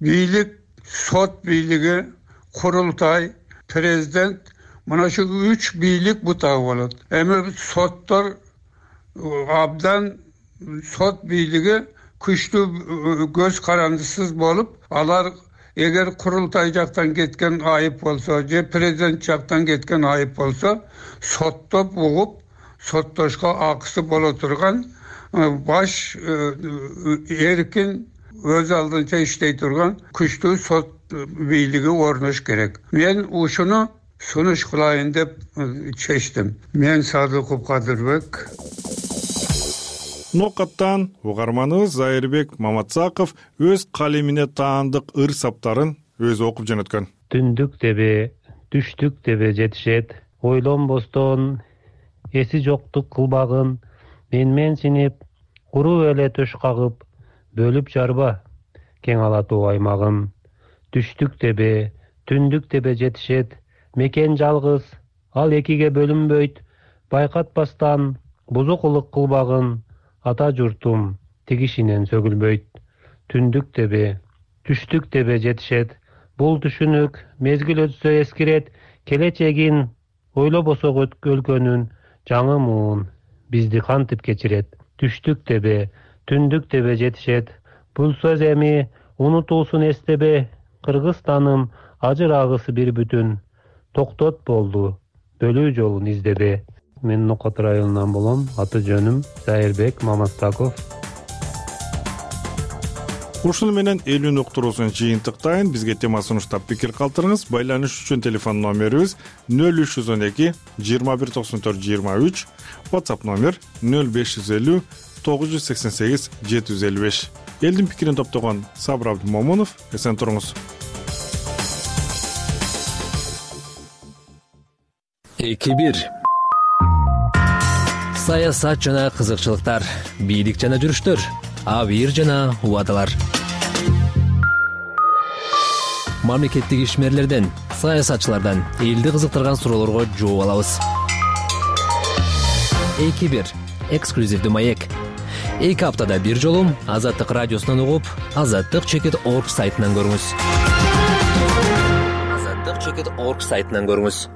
Бийлик, сот бийлиги, курултай, президент, мына şu үч бийлик бутагы болот. Эми соттор абдан, сот бийлиги күчтүү көз карандысыз болуп, алар эгер курултай жактан кеткен айып болсо, же президент жактан кеткен айып болсо, соттоп угуп, соттошко акысы боло турган, баш эркин өз алдынча иштей турган күчтүү сот бийлиги орнош керек. Мен ушуну сунуш кылайын деп чечтим. Мен Садыков Кадырбек. Нокаттан угарманыбыз Зайырбек Маматсаков өз калемине таандык ыр саптарын өзү окуп жөнөткөн. Түндүк тебе, түштүк тебе жетишет, ойлонбостон эси жоктук кылбагын, менмен синип, куру эле төш кагып, бөлүп жарба кең алатуу аймагын. Түштүк тебе, түндүк тебе жетишет, мекен жалгыз, ал экиге бөлүнбөйт, байкатпастан бузукулук кылбагын, ата журтум тигишинен сөгүлбөйт. Түндүк тебе, түштүк тебе жетишет, бул түшүнүк мезгил өтсө эскирет, келечегин ойлобосок өлкөнүн жаңы муун бизди кантип кечирет. Түштүк дебе, түндүк дебе жетишет. Бул сөз эми унутуусун эстебе. Кыргызстаным ажырагысы бир бүтүн. Токтот болду, бөлүү жолун издебе. Мен Нокот районунан болом. Аты жөнүм Зайырбек Мамастаков. Ушуну менен элүүн уктуруусун жыйынтыктайын. Бизге тема сунуштап пикир калтырыңыз. Байланыш үчүн телефон номерибиз нөл үч жүз он эки жыйырма бир токсон төрт жыйырма үч, WhatsApp номер нөл беш жүз элүү тогуз жүз сексен сегиз жети жүз элүү беш. Элдин пикирин топтогон Сабыр Абдымомунов. Эсен туруңуз. эки бир саясат жана кызыкчылыктар, бийлик жана жүрүштөр, абийир жана убадалар. Мамлекеттик ишмерлерден, саясатчылардан элди кызыктырган суроолорго жооп алабыз. эки бир эксклюзивдүү маек. эки аптада бир жолу Азаттык радиосунан угуп, азаттык чекит орг сайтынан көрүңүз. азаттык чекит орг сайтынан көрүңүз.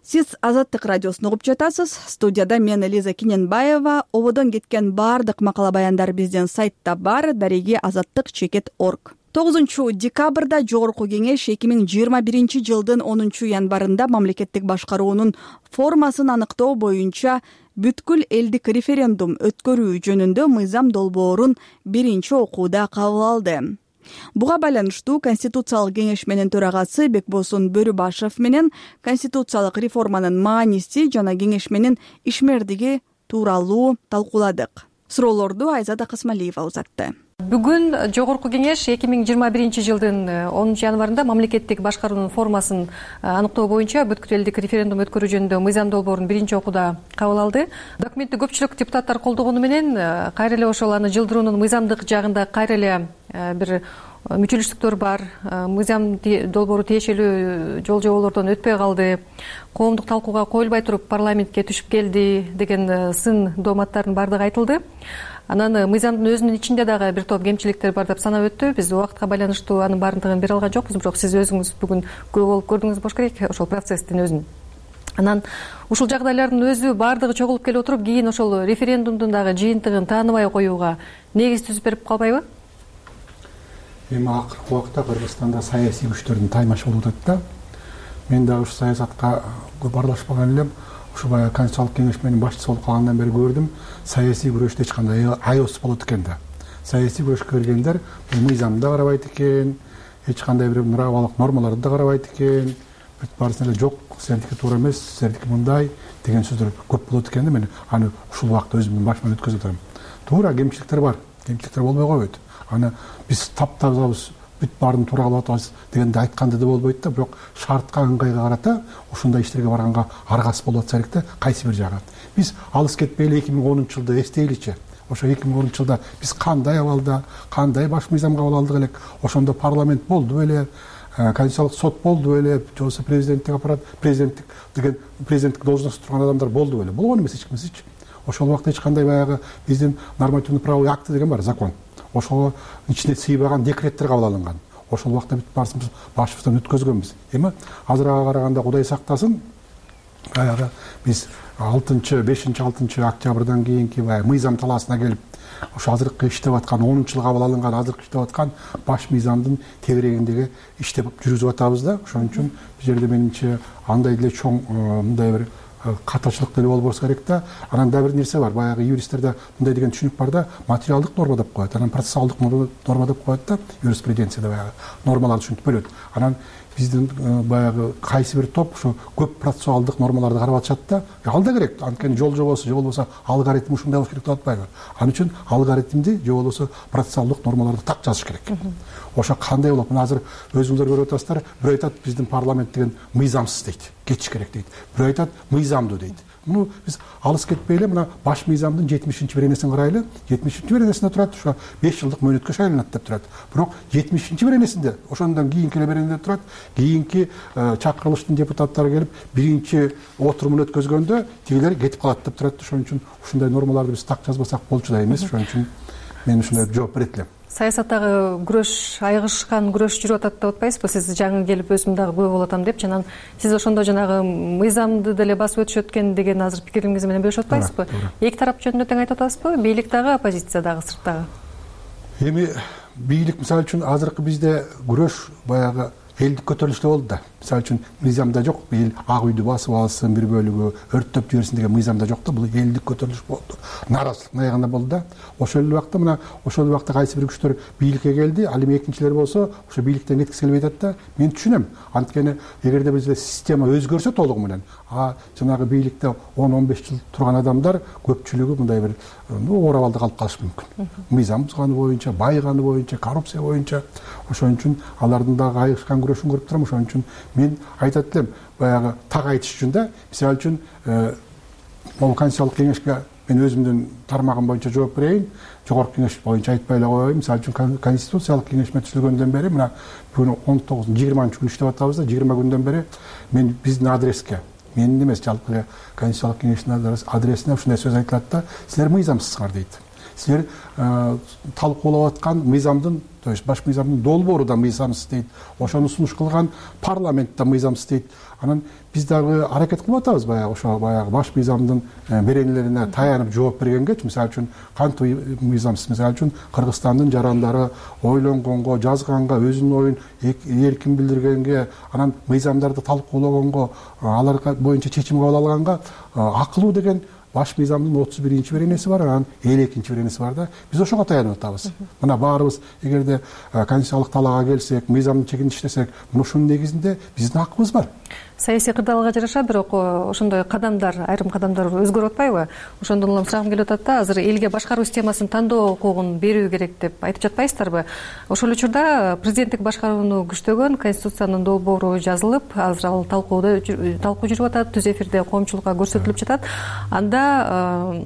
Сиз Азаттык радиосун угуп жатасыз. Студияда мен Лиза Киненбаева. Ободон кеткен баардык макала баяндар биздин сайтта бар, дареги азаттык чекит орг. тогузунчу декабрда Жогорку кеңеш эки миң жыйырма биринчи жылдын онунчу январында мамлекеттик башкаруунун формасын аныктоо боюнча бүткүл элдик референдум өткөрүү жөнүндө мыйзам долбоорун биринчи окууда кабыл алды. Буга байланыштуу Конституциялык кеңешменин төрагасы Бекбосун Бөрүбашев менен конституциялык реформанын мааниси жана кеңешменин ишмердиги тууралуу талкууладык. Суроолорду Айзада Касмалиева узатты. Бүгүн Жогорку кеңеш эки миң жыйырма биринчи жылдын онунчу январында мамлекеттик башкаруунун формасын аныктоо боюнча бүткүл элдик референдум өткөрүү жөнүндө мыйзам долбоорун биринчи окууда кабыл алды. Документти көпчүлүк депутаттар колдогону менен кайра эле ошол аны жылдыруунун мыйзамдык жагында кайра эле бир мүчүлүштүктөр бар. Мыйзам долбоору тиешелүү жол жоболордон өтпөй калды. Коомдук талкууга коюлбай туруп парламентке түшүп келди деген сын дооматтардын баардыгы айтылды. Анан мыйзамдын өзүнүн ичинде дагы бир топ кемчиликтер бар деп санап өттү. Биз убакытка байланыштуу анын баардыгын бере алган жокпуз, бирок сиз өзүңүз бүгүн күбө болуп көрдүңүз болуш керек ошол процесстин өзүн. Анан ушул жагдайлардын өзү баардыгы чогулуп келип отуруп, кийин ошол референдумдун дагы жыйынтыгын тааныбай коюуга негиз түзүп берип калбайбы? Эми акыркы убакта Кыргызстанда саясий күчтөрдүн таймашы болуп атат да. Мен дагы ушу саясатка көп аралашпаган элем. Ушу баягы Конституциялык кеңешменин башчысы болуп калгандан бери көрдүм, саясий күрөштө эч кандай аябыз болот экен да. Саясий күрөшкө киргендер бул мыйзамды да карабайт экен, эч кандай бир правалык нормаларды да карабайт экен. Бүт баарысын эле жок, сендики туура эмес, сендики мындай деген сөздөр көп болот экен да. Мен аны ушул убакта өзүмдүн башыман өткөзүп атам. Туура кемчиликтер бар, кемчиликтер болбой койбойт. Аны биз таптазабыз, бүт баарын туура кылып атабыз дегенде айтканда да болбойт да, бирок шартка ыңгайга карата ушундай иштерге барганга аргасы болуп атса керек да, кайсы бир жагы. Биз алыс кетпейли эки миң онунчу жылды эстейличи. Ошо эки миң онунчу жылда биз кандай абалда, кандай баш мыйзам кабыл алдык элек, ошондо парламент болду беле, конституциялык сот болду беле, же болбосо президенттик аппарат, президенттик деген президенттик должностто турган адамдар болду беле. Болгон эмес эч кимсичи. Ошол убакта эч кандай баягы биздин нормативный правовой акты деген бар, закон. Ошого ичине сыйбаган декреттер кабыл алынган. Ошол убакта бүт баарыбыз башыбыздан өткөзгөнбүз. Эми азырага караганда Кудай сактасын, баягы биз алтынчы, бешинчи, алтынчы октябрдан кийинки баягы мыйзам талаасына келип, ошо азыркы иштеп аткан онунчу жыл кабыл алынган азыркы иштеп аткан баш мыйзамдын тегерегиндеги иштеп жүргүзүп атабыз да. Ошон үчүн бул жерде менимче андай деле чоң мындай бир катачылык деле болбош керек да. Анан да бир нерсе бар. Баягы юристтерде мындай деген түшүнүк бар да, материалдык норма деп коет, анан процессуалдык норма деп коет да. Юриспруденцияда баягы нормаларды түшүнүп бөлөт. Анан биздин баягы кайсы бир топ ошо көп процессуалдык нормаларды карап атышат да. Ал да керек. Анткени жол жобосу же болбосо алгоритм ушундай болуш керек деп атпайбы? Ал үчүн алгоритмди же болбосо процессуалдык нормаларды так жазыш керек. Ошо кандай болот? Мына азыр өзүңүздөр көрүп атасыздар, бирөө айтат биздин парламент деген мыйзамсыз дейт, кетиш керек дейт. Бирөө айтат мыйзамдуу дейт. Муну биз алыс кетпейли, мына баш мыйзамдын жетимишинчи беренесин карайлы. жетимишинчи беренесинде турат, ошо беш жылдык мөөнөткө шайланат деп турат. Бирок жетимишинчи беренесинде, ошондон кийинки эле беренеде турат, кийинки чакырылыштын депутаттары келип биринчи отурумун өткөзгөндө тигилер кетип калат деп турат. Ошон үчүн ушундай нормаларды биз так жазбасак болчу да эмес. Ошон үчүн мен ушундай жооп берет элем. саясаттагы күрөш айыгышкан күрөш жүрүп атат деп атпайсызбы? Сиз жаңы келип өзүм дагы күбө болуп атам депчи, анан сиз ошондо жанагы мыйзамды деле басып өтүшөт экен деген азыр пикириңиз менен бөлүшүп атпайсызбы? Эки тарап жөнүндө тең айтып атасызбы? Бийлик дагы, оппозиция дагы, сырттагы. Эми бийлик мисалы үчүн азыркы бизде күрөш баягы элдик көтөрүлүштө болду да. Мисалы үчүн мыйзамда жок, эл Ак үйдү басып алсын, бир бөлүгү өрттөп жиберсин деген мыйзамда жок да. Бул элдик көтөрүлүш болду. Нааразычылык аягында болду да. Ошол эле убакта мына ошол убакта кайсы бир күчтөр бийликке келди, ал эми экинчилер болсо ошо бийликтен кеткиси келбей атат да. Мен түшүнөм. Анткени эгерде бизде система өзгөрсө толугу менен, а жанагы бийликте он он беш жыл турган адамдар көпчүлүгү мындай бир оорабалда калып калышы мүмкүн. Мыйзам бузганы боюнча, байганы боюнча, коррупция боюнча. Ошон үчүн алардын дагы айыгышкан күрөшүн көрүп турам. Ошон үчүн мен айтат элем, баягы так айтыш үчүн да, мисалы үчүн могу Конституциялык кеңешке мен өзүмдүн тармагым боюнча жооп берейин. Жогорку кеңеш боюнча айтпай эле коеюн. Мисалы үчүн Конституциялык кеңешме түзүлгөндөн бери мына бүгүн он тогуз жыйырманчы күн иштеп атабыз да, жыйырма күндөн бери мен биздин адреске, менин эмес, жалпы эле Конституциялык кеңештин адресине ушундай сөз айтылат да: силер мыйзамсызсыңар дейт. Силер талкуулап аткан мыйзамдын, то есть баш мыйзамдын долбоору да мыйзамсыз дейт. Ошону сунуш кылган парламент да мыйзамсыз дейт. Анан биз дагы аракет кылып атабыз баягы ошо баягы баш мыйзамдын беренелерине таянып жооп бергенгечи. Мисалы үчүн кантип мыйзамсыз? Мисалы үчүн Кыргызстандын жарандары ойлонгонго, жазганга, өзүнүн оюн эркин билдиргенге, анан мыйзамдарды талкуулаганго, алар боюнча чечим кабыл алганга акылуу деген баш мыйзамдын отуз биринчи беренеси бар, анан элүү экинчи беренеси бар да. Биз ошого таянып атабыз. Мына баарыбыз эгерде конституциялык талаага келсек, мыйзамдын чегин иштесек, мына ушунун негизинде биздин акыбыз бар. Саясий кырдаалга жараша бирок ошондой кадамдар, айрым кадамдар өзгөрүп атпайбы? Ошондон улам сурагым келип атат да, азыр элге башкаруу системасын тандоо укугун берүү керек деп айтып жатпайсыздарбы? Ошол учурда президенттик башкарууну күчтөгөн Конституциянын долбоору жазылып, азыр ал талкууда талкуу жүрүп атат, түз эфирде коомчулукка көрсөтүлүп жатат. Анда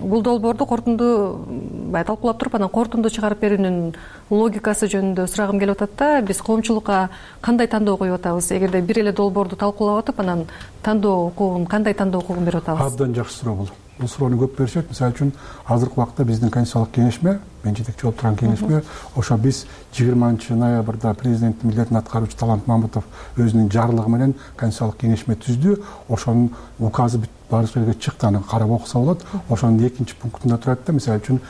бул долбоорду кортунду баягы талкуулап туруп, анан кортунду чыгарып берүүнүн логикасы жөнүндө сурагым келип атат да. Биз коомчулукка кандай тандоо коюп атабыз? Эгерде бир эле долбоорду талкуулап атып, анан тандоо укугун, кандай тандоо укугун берип атабыз? Абдан жакшы суроо бул. Бул суроону көп беришет. Мисалы үчүн азыркы убакта биздин Конституциялык кеңешме, мен жетекчи болуп турган кеңешме, ошо биз жыйырманчы ноябрда президенттин милдетин аткаруучу Талант Мамытов өзүнүн жарлыгы менен Конституциялык кеңешме түздү. Ошонун указы баары жерге чыкты, аны карап окуса болот. Ошонун экинчи пунктунда турат да, мисалы үчүн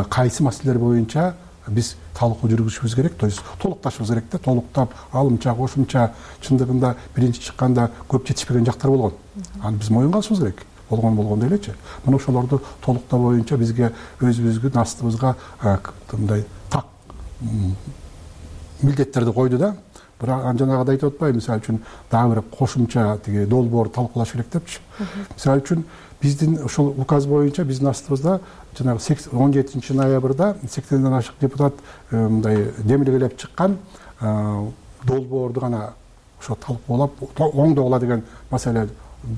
кайсы маселелер боюнча биз талкуу жүргүзүшүбүз керек, то есть толукташыбыз керек да, толуктап, алымча, кошумча, чындыгында биринчи чыкканда көп жетишпеген жактар болгон. Аны биз моюнга алышыбыз керек. Болгон болгондой элечи. Мына ошолорду толуктоо боюнча бизге өзүбүзгө, астыбызга мындай так милдеттерди койду да. Бирок жанагыдай айтып атпайбы, мисалы үчүн дагы бир кошумча тиги долбоор талкуулаш керек депчи. Мисалы үчүн биздин ошол указ боюнча биздин астыбызда жанагы он жетинчи ноябрда сексенден ашык депутат мындай демилгелеп чыккан долбоорду гана ошо талкуулап оңдогула деген маселе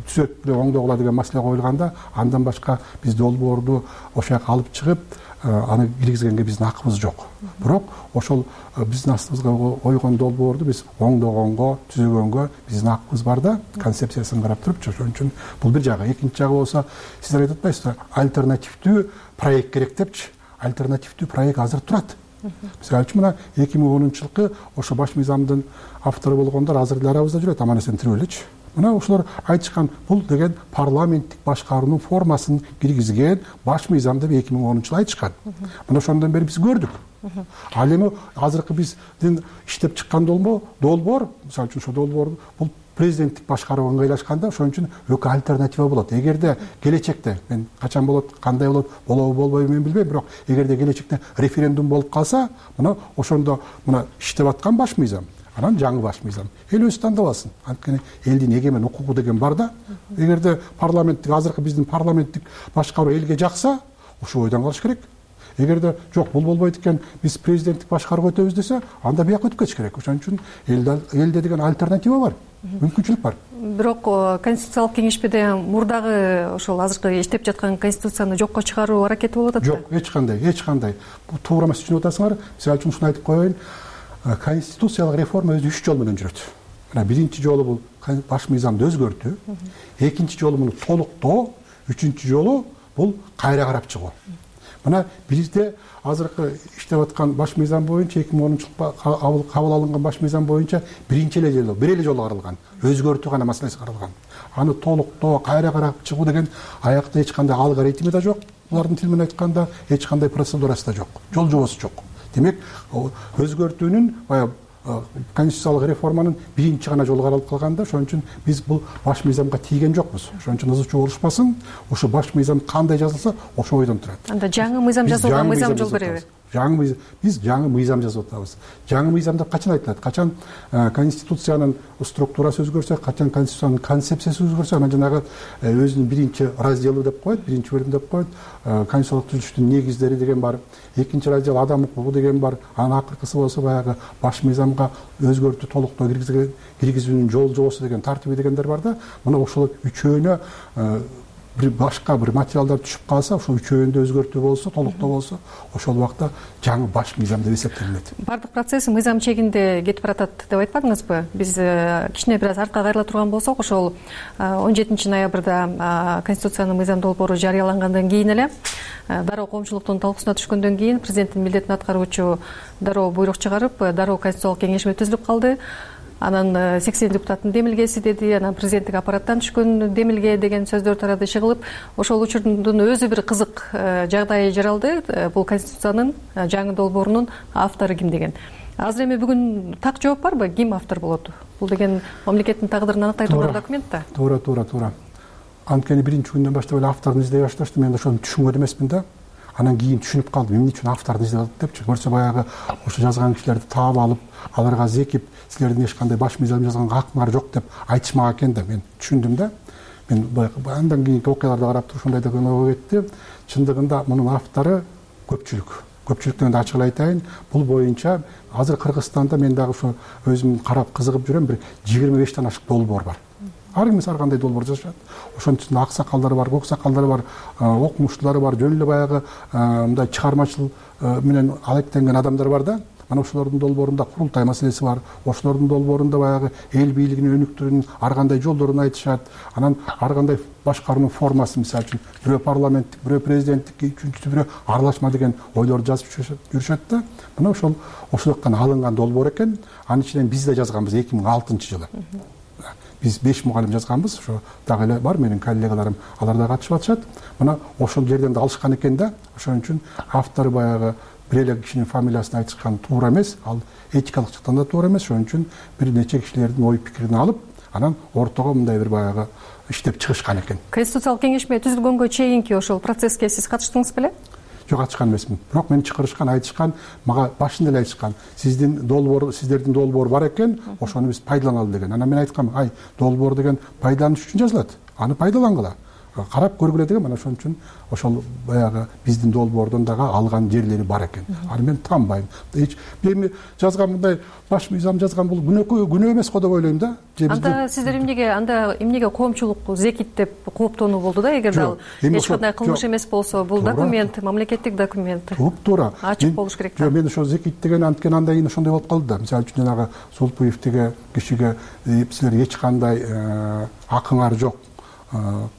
түзөт эле оңдогула деген маселе коюлганда, андан башка биз долбоорду ошол жака алып чыгып аны киргизгенге биздин акыбыз жок. Бирок ошол биздин астыбызга койгон долбоорду биз оңдогонго, түзөгөнгө биздин акыбыз бар да, концепциясын карап турупчу. Ошон үчүн бул бир жагы. Экинчи жагы болсо, сиздер айтып атпайсызбы, альтернативдүү проект керек депчи. Альтернативдүү проект азыр турат. Мисалы үчүн мына эки миң онунчу жылкы ошо баш мыйзамдын автору болгондор азыр деле арабызда жүрөт, Аман-эсен тирүү элечи. Мына ошолор айтышкан, бул деген парламенттик башкаруунун формасын киргизген баш мыйзам деп эки миң онунчу жылы айтышкан. Мына ошондон бери биз көрдүк. Ал эми азыркы биздин иштеп чыккан долбоор, мисалы үчүн ошо долбоор бул президенттик башкарууга ыңгайлашканда, ошон үчүн экөө альтернатива болот. Эгерде келечекте, мен качан болот, кандай болот, болобу болбойбу мен билбейм, бирок эгерде келечекте референдум болуп калса, мына ошондо мына иштеп аткан баш мыйзам, анан жаңы баш мыйзам эл өзү тандап алсын. Анткени элдин эгемен укугу деген бар да. Эгерде парламенттик, азыркы биздин парламенттик башкаруу элге жакса, ушул ойдон калыш керек. Эгерде жок, бул болбойт экен, биз президенттик башкарууга өтөбүз десе, анда бияка өтүп кетиш керек. Ошон үчүн элде деген альтернатива бар, мүмкүнчүлүк бар. Бирок Конституциялык кеңешмеде мурдагы ошол азыркы иштеп жаткан конституцияны жокко чыгаруу аракети болуп атат да? Жок, эч кандай, эч кандай. Бул туура эмес түшүнүп атасыңар. Мисалы үчүн ушуну айтып коеюн. Конституциялык реформа өзү үч жол менен жүрөт. Мына биринчи жолу бул баш мыйзамды өзгөртүү, экинчи жолу муну толуктоо, үчүнчү жолу бул кайра карап чыгуу. мына бизде азыркы иштеп аткан баш мыйзам боюнча эки миң онунчу жылы кабыл алынган баш мыйзам боюнча биринчи эле жолу бир эле жолу каралган, өзгөртүү гана маселеси каралган. Аны толуктоо, кайра карап чыгуу деген аякта эч кандай алгоритми да жок. Булардын тили менен айтканда эч кандай процедурасы да жок, жол жобосу жок. Демек, өзгөртүүнүн баягы конституциялык реформанын биринчи гана жолу каралып калганда, ошон үчүн биз бул баш мыйзамга тийген жокпуз. Ошон үчүн ызы чуу болушпасын, ошо баш мыйзам кандай жазылса, ошо бойдон турат. Анда жаңы мыйзам жазылган мыйзам жол береби? Жаңы мыйзам, биз жаңы мыйзам жазып атабыз. Жаңы мыйзамда качан айтылат? Качан конституциянын структурасы өзгөрсө, качан конституциянын концепциясы өзгөрсө, анан жанагы өзүнүн биринчи разделы деп коет, биринчи бөлүм деп коет. Конституциялык түзүлүштүн негиздери деген бар. Экинчи раздел адам укугу деген бар. Анын акыркысы болсо баягы баш мыйзамга өзгөртүү, толуктоо киргизүүнүн жол жобосу деген, тартиби дегендер бар да. Мына ошол үчөөнө бир башка бир материалдар түшүп калса, ошол үчөөндө өзгөртүү болсо, толуктоо болсо, ошол убакта жаңы баш мыйзам деп эсептелинет. Бардык процесс мыйзам чегинде кетип баратат деп айтпадыңызбы? Биз кичине бир аз артка кайрыла турган болсок, ошол он жетинчи ноябрда Конституциянын мыйзам долбоору жарыялангандан кийин эле дароо коомчулуктун талкуусуна түшкөндөн кийин президенттин милдетин аткаруучу дароо буйрук чыгарып, дароо Конституциялык кеңешме түзүлүп калды. Анан сексен депутаттын демилгеси деди, анан президенттик аппараттан түшкөн демилге деген сөздөр тарады, чыгылып, ошол учурдун өзү бир кызык жагдайы жаралды. Бул Конституциянын жаңы долбоорунун автору ким деген. Азыр эми бүгүн так жооп барбы? Ким автор болот? Бул деген мамлекеттин тагдырын аныктай турган документ да. Туура, туура, туура. Анткени биринчи күндөн баштап эле авторун издей башташты. Мен ошону түшүнгөн эмесмин да. Анан кийин түшүнүп калдым, эмне үчүн авторду издеп атат депчи. Көрсө баягы ошо жазган кишилерди таап алып, аларга зекип, силердин эч кандай баш мыйзам жазганга акыңар жок деп айтышмак экен да. Мен түшүндүм да. Мен баягы андан кийинки окуяларды карап туруп ушундай деген ой кетти. Чындыгында мунун автору көпчүлүк. Көпчүлүк дегенде ачык эле айтайын, бул боюнча азыр Кыргызстанда мен дагы ошо өзүм карап кызыгып жүрөм, бир жыйырма бештен ашык долбоор бар. Ар ким ар кандай долбоор жазышат. Ошонун ичинде ак сакалдары бар, көк сакалдары бар, окумуштуулары бар, жөн эле баягы мындай чыгармачыл менен алектенген адамдар бар да. Мана ошолордун долбоорунда курултай маселеси бар. Ошолордун долбоорунда баягы эл бийлигинин өнүктүрүүнүн ар кандай жолдорун айтышат. Анан ар кандай башкаруунун формасы, мисалы үчүн бирөө парламенттик, бирөө президенттик, үчүнчүсү бирөө аралашма деген ойлорду жазып жүрүшөт да. Мына ошол ошол жактан алынган долбоор экен. Анын ичинен биз да жазганбыз эки миң алтынчы жылы. Биз беш мугалим жазганбыз, ошо дагы эле бар менин коллегаларым, алар да катышып атышат. Мына ошол жерден да алышкан экен да. Ошон үчүн автору баягы бир эле кишинин фамилиясын айтышкан туура эмес, ал этикалык жактан да туура эмес. Ошон үчүн бир нече кишилердин ой пикирин алып, анан ортого мындай бир баягы иштеп чыгышкан экен. Конституциялык кеңешме түзүлгөнгө чейинки ошол процесске сиз катыштыңыз беле? Жок, катышкан эмесмин. Бирок мени чакырышкан, айтышкан, мага башында эле айтышкан. Сиздин долбоор, сиздердин долбоор бар экен, ошону биз пайдаланалы деген. Анан мен айткам, ай, долбоор деген пайдаланыш үчүн жазылат. Аны пайдалангыла. Карап көргүлө деген. Мына ошон үчүн ошол баягы биздин долбоордон дагы алган жерлери бар экен. Аны мен таанбайм. Эч эми жазган мындай баш мыйзам жазган бул күнөө күнөө эмес го деп ойлойм да. Анда сиздер эмнеге анда эмнеге коомчулук зекит деп кооптонуу болду да, эгерде ал эч кандай кылмыш эмес болсо, бул документ, мамлекеттик документ. Туура. Ачык болуш керек да. Жок, мен ошо зекит деген анткени андан кийин ошондой болуп калды да. Мисалы үчүн жанагы Сулпуев деген кишиге силер эч кандай акыңар жок,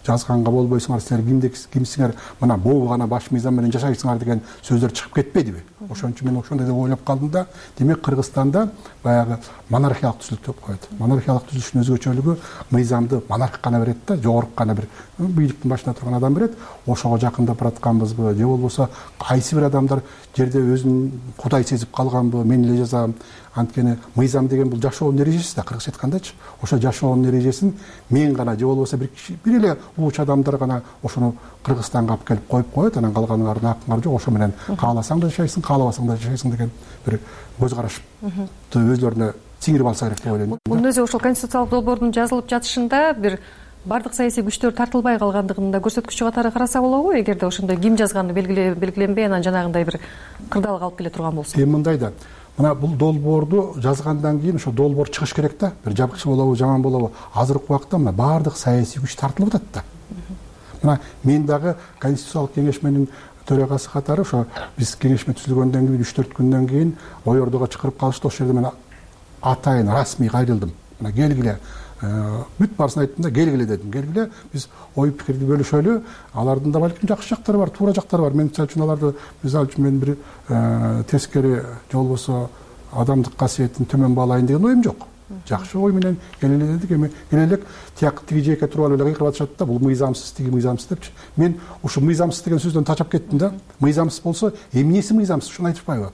жазганга болбойсуңар, силер кимдик кимсиңер, мына бул гана баш мыйзам менен жашайсыңар деген сөздөр чыгып кетпедиби? Ошон үчүн мен ошондой деп ойлоп калдым да. Демек Кыргызстанда баягы монархиялык түзүлүш деп коет. Монархиялык түзүлүштүн өзгөчөлүгү мыйзамды монарх гана берет да, жогорку гана бир бийликтин башында турган адам берет. Ошого жакындап баратканбызбы, же болбосо кайсы бир адамдар жерде өзүн кудай сезип калганбы, мен эле жазам. Анткени мыйзам деген бул жашоонун эрежеси да, кыргызча айткандачы. Ошо жашоонун эрежесин мен гана же болбосо бир киши, бир эле улуучу адамдар гана ошону Кыргызстанга алып келип коюп коет. Анан калганыңардын акыңар жок, ошо менен кааласаң да жашайсың, каалабасаң да жашайсың деген бир көз караш өзлөрүнө сиңирип алса керек деп ойлойм. Мунун өзү ошол конституциялык долбоордун жазылып жатышында бир бардык саясий күчтөр тартылбай калгандыгын да көрсөткүчү катары караса болобу, эгерде ошондой ким жазганы белгиленбей, анан жанагындай бир кырдаалга алып келе турган болсо. Эми мындай да. Мына бул долбоорду жазгандан кийин ошо долбоор чыгыш керек да. Бир жакшы болобу, жаман болобу, азыркы убакта мына бардык саясий күч тартылып атат да. Мына мен дагы Конституциялык кеңешменин төрагасы катары ошо биз кеңешме түзүлгөндөн кийин үч төрт күндөн кийин ой ордого чакырып калышты. Ошол жерде мен атайын расмий кайрылдым. Мына келгиле, бүт баарысын айттым да келгиле дедим. Келгиле биз ой пикирди бөлүшөлү. Алардын да балким жакшы жактары бар, туура жактары бар. Мен мисалы үчүн аларды мисалы үчүн мен бир тескери же болбосо адамдык касиетин төмөн баалайын деген оюм жок. Жакшы ой менен келеле дедик. Эми келелек тияк тиги жээкке туруп алып эле кыйкырып атышат да, бул мыйзамсыз, тиги мыйзамсыз депчи. Мен ушу мыйзамсыз деген сөздөн тачап кеттим да. Мыйзамсыз болсо эмнеси мыйзамсыз, ушуну айтышпайбы?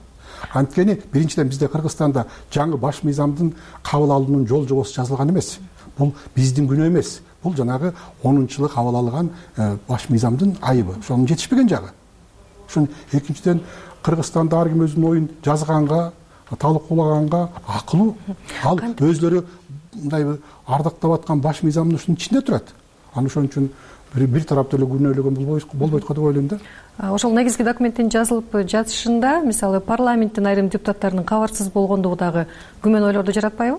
Анткени биринчиден бизде Кыргызстанда жаңы баш мыйзамдын кабыл алуунун жол жобосу жазылган эмес. Бул биздин күнөө эмес. Бул жанагы онунчу жылы кабыл алган баш мыйзамдын айыбы. Ошонун жетишпеген жагы. Ошон экинчиден Кыргызстанда ар ким өзүнүн оюн жазганга, талкуулаганга акылуу. Ал өзлөрү мындай ардактап аткан баш мыйзамдын ушунун ичинде турат. Анан ошон үчүн бир тараптуу эле күнөөлөгөн болбойт го деп ойлойм да. Ошол негизги документтин жазылып жатышында мисалы парламенттин айрым депутаттарынын кабарсыз болгондугу дагы күмөн ойлорду жаратпайбы?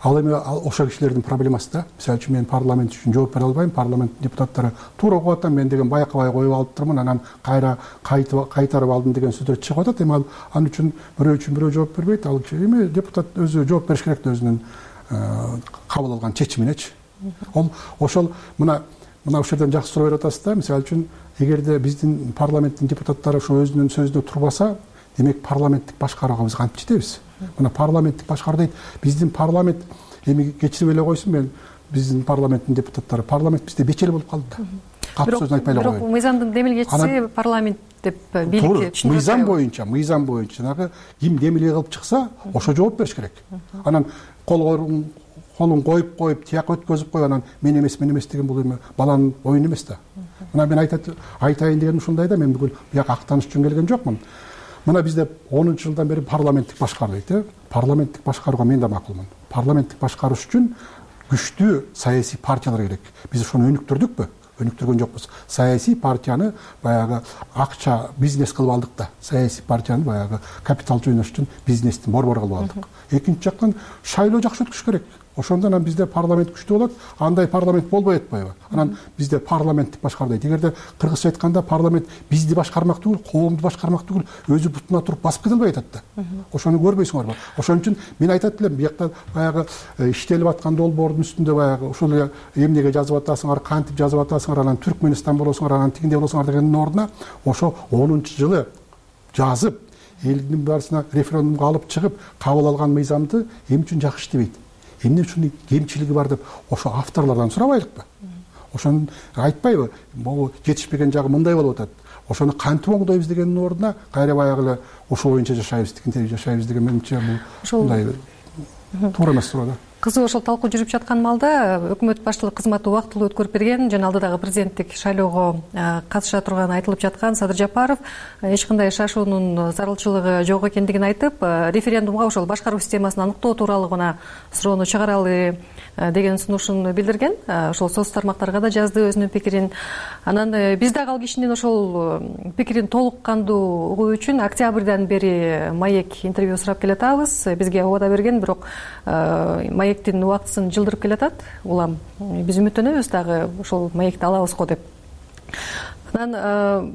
Ал эми ошол кишилердин проблемасы да. Мисалы үчүн мен парламент үчүн жооп бере албайм. Парламент депутаттары туура окуп атам, мен деген байкабай коюп алыптырмын, анан кайра кайтарып алдым деген сөздөр чыгып атат. Эми ал ал үчүн бирөө үчүн бирөө жооп бербейт. Ал эми депутат өзү жооп бериш керек да өзүнүн кабыл алган чечиминечи. Ол ошол мына мына ушул жерден жакшы суроо берип атасыз да. Мисалы үчүн эгерде биздин парламенттин депутаттары ошо өзүнүн сөзүндө турбаса, демек парламенттик башкарууга биз кантип жетебиз? Мына парламенттик башкаруу дейт. Биздин парламент эми кечирип эле койсун, мен биздин парламенттин депутаттары парламент бизде бечел болуп калды да. Катуу сөзүн айтпай эле коеюн. Бирок мыйзамдын демилгечиси парламент деп бийликке түшүндүрүп мыйзам боюнча, мыйзам боюнча жанагы ким демилге кылып чыкса, ошо жооп бериш керек. Анан кол колун коюп коюп, тияк өткөзүп коюп, анан мен эмес, мен эмес деген бул эми баланын оюну эмес да. Мына мен айтайын дегеним ушундай да, мен бүгүн бияка актаныш үчүн келген жокмун. Мына бизде онунчу жылдан бери парламенттик башкаруу дейт, э? Парламенттик башкарууга мен да макулмун. Парламенттик башкарууш үчүн күчтүү саясий партиялар керек. Биз ошону өнүктүрдүкпү? Өнүктүргөн жокпуз. Саясий партияны баягы акча бизнес кылып алдык да. Саясий партияны баягы капитал жыйнаш үчүн бизнестин борбору кылып алдык. Экинчи жактан шайлоо жакшы өткүш керек. Ошондо анан бизде парламент күчтүү болот, андай парламент болбой атпайбы? Анан бизде парламенттик башкаруу дейт. Эгерде кыргызча айтканда парламент бизди башкармак түгүл, коомду башкармак түгүл, өзү бутуна туруп басып кете албай атат да. Ошону көрбөйсүңөрбү? Ошон үчүн мен айтат элем, биякта баягы иштелип аткан долбоордун үстүндө баягы ушул эле эмнеге жазып атасыңар, кантип жазып атасыңар, анан Түркмөнстан болосуңар, анан тигиндей болосуңар дегендин ордуна ошо онунчу жылы жазып, элдин баарысына референдумга алып чыгып, кабыл алган мыйзамды эмне үчүн жакшы иштебейт? Эмне ушунун кемчилиги бар деп ошо авторлордон сурабайлыкпы? Ошону айтпайбы? Могу жетишпеген жагы мындай болуп атат. Ошону кантип оңдойбуз дегендин ордуна кайра баягы эле ошол боюнча жашайбыз, тигинтип жашайбыз деген менимче бул мындай туура эмес суроо да. Кызуу ошол талкуу жүрүп жаткан маалда өкмөт башчылык кызматы убактылуу өткөрүп берген жана алдыдагы президенттик шайлоого катыша турганы айтылып жаткан Садыр Жапаров эч кандай шашуунун зарылчылыгы жок экендигин айтып, референдумга ошол башкаруу системасын аныктоо тууралуу гана суроону чыгаралы деген сунушун билдирген. Ошол соц тармактарга да жазды өзүнүн пикирин. Анан биз дагы ал кишинин ошол пикирин толук кандуу угуу үчүн октябрдан бери Маек интервью сурап келатабыз. Бизге убада берген, бирок Маектин убактысын жылдырып келатат. Улам биз үмүттөнөбүз дагы ошол Маекти алабыз го деп. Анан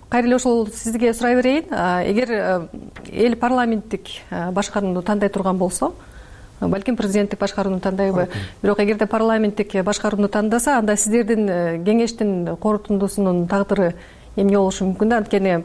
кайра эле ошол сизге сурай берейин. Эгер эл парламенттик башкарууну тандай турган болсо, балким президенттик башкарууну тандайбы, бирок эгерде парламенттик башкарууну тандаса, анда сиздердин кеңештин корутундусунун тагдыры эмне болушу мүмкүн да? Анткени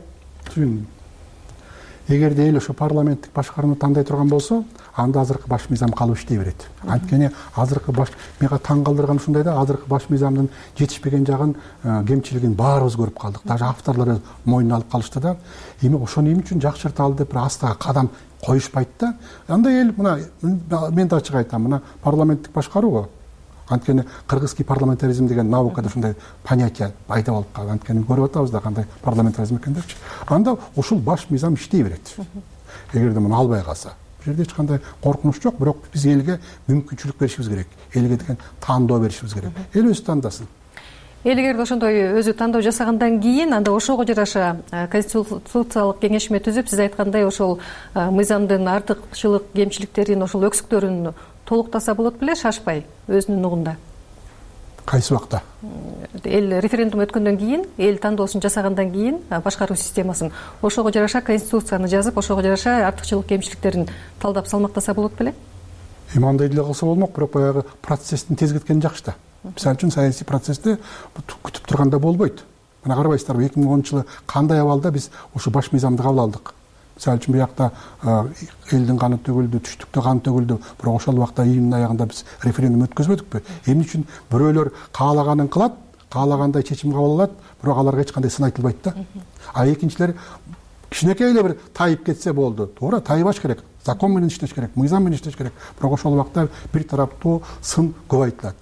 эгерде эл ошо парламенттик башкарууну тандай турган болсо, анда азыркы баш мыйзам калып иштей берет. Анткени азыркы баш мага таң калтырган ушундай да, азыркы баш мыйзамдын жетишпеген жагын, кемчилигин баарыбыз көрүп калдык. Даже авторлор мойнуна алып калышты да. Эми ошону эмне үчүн жакшырталы деп бир астага кадам коюшпайт да. Андай эл мына мен да ачык айтам, мына парламенттик башкаруу. Анткени кыргызский парламентаризм деген наукада ушундай понятие пайда болуп калган. Анткени көрүп атабыз да кандай парламентаризм экен депчи. Анда ушул баш мыйзам иштей берет. Эгерде муну албай калса, бул жерде эч кандай коркунуч жок, бирок биз элге мүмкүнчүлүк беришибиз керек. Элге деген тандоо беришибиз керек. Эл өзү тандасын. Эл эгерде ошондой өзү тандоо жасагандан кийин, анда ошого жараша конституциялык кеңешме түзүп, сиз айткандай ошол мыйзамдын артыкчылык, кемчиликтерин, ошол өксүктөрүн толуктаса болот беле, шашпай өзүнүн угунда? Кайсы убакта? Эл референдум өткөндөн кийин, эл тандоосун жасагандан кийин башкаруу системасын ошого жараша конституцияны жазып, ошого жараша артыкчылык, кемчиликтерин талдап салмактаса болот беле? эми андай деле кылса болмок, бирок баягы процесстин тезгеткени жакшы да. Мисалы үчүн саясий процессти күтүп турганда болбойт. Мына карабайсыздарбы, эки миң онунчу жылы кандай абалда биз ушу баш мыйзамды кабыл алдык. Мисалы үчүн биякта элдин каны төгүлдү, түштүктө кан төгүлдү, бирок ошол убакта июньдун аягында биз референдум өткөзбөдүкпү? Эмне үчүн бирөөлөр каалаганын кылат, каалагандай чечим кабыл алат, бирок аларга эч кандай сын айтылбайт да. А экинчилери кичинекей эле бир тайып кетсе болду. Туура, тайбаш керек. Закон менен иштеш керек, мыйзам менен иштеш керек. Бирок ошол убакта бир тараптуу сын көп айтылат.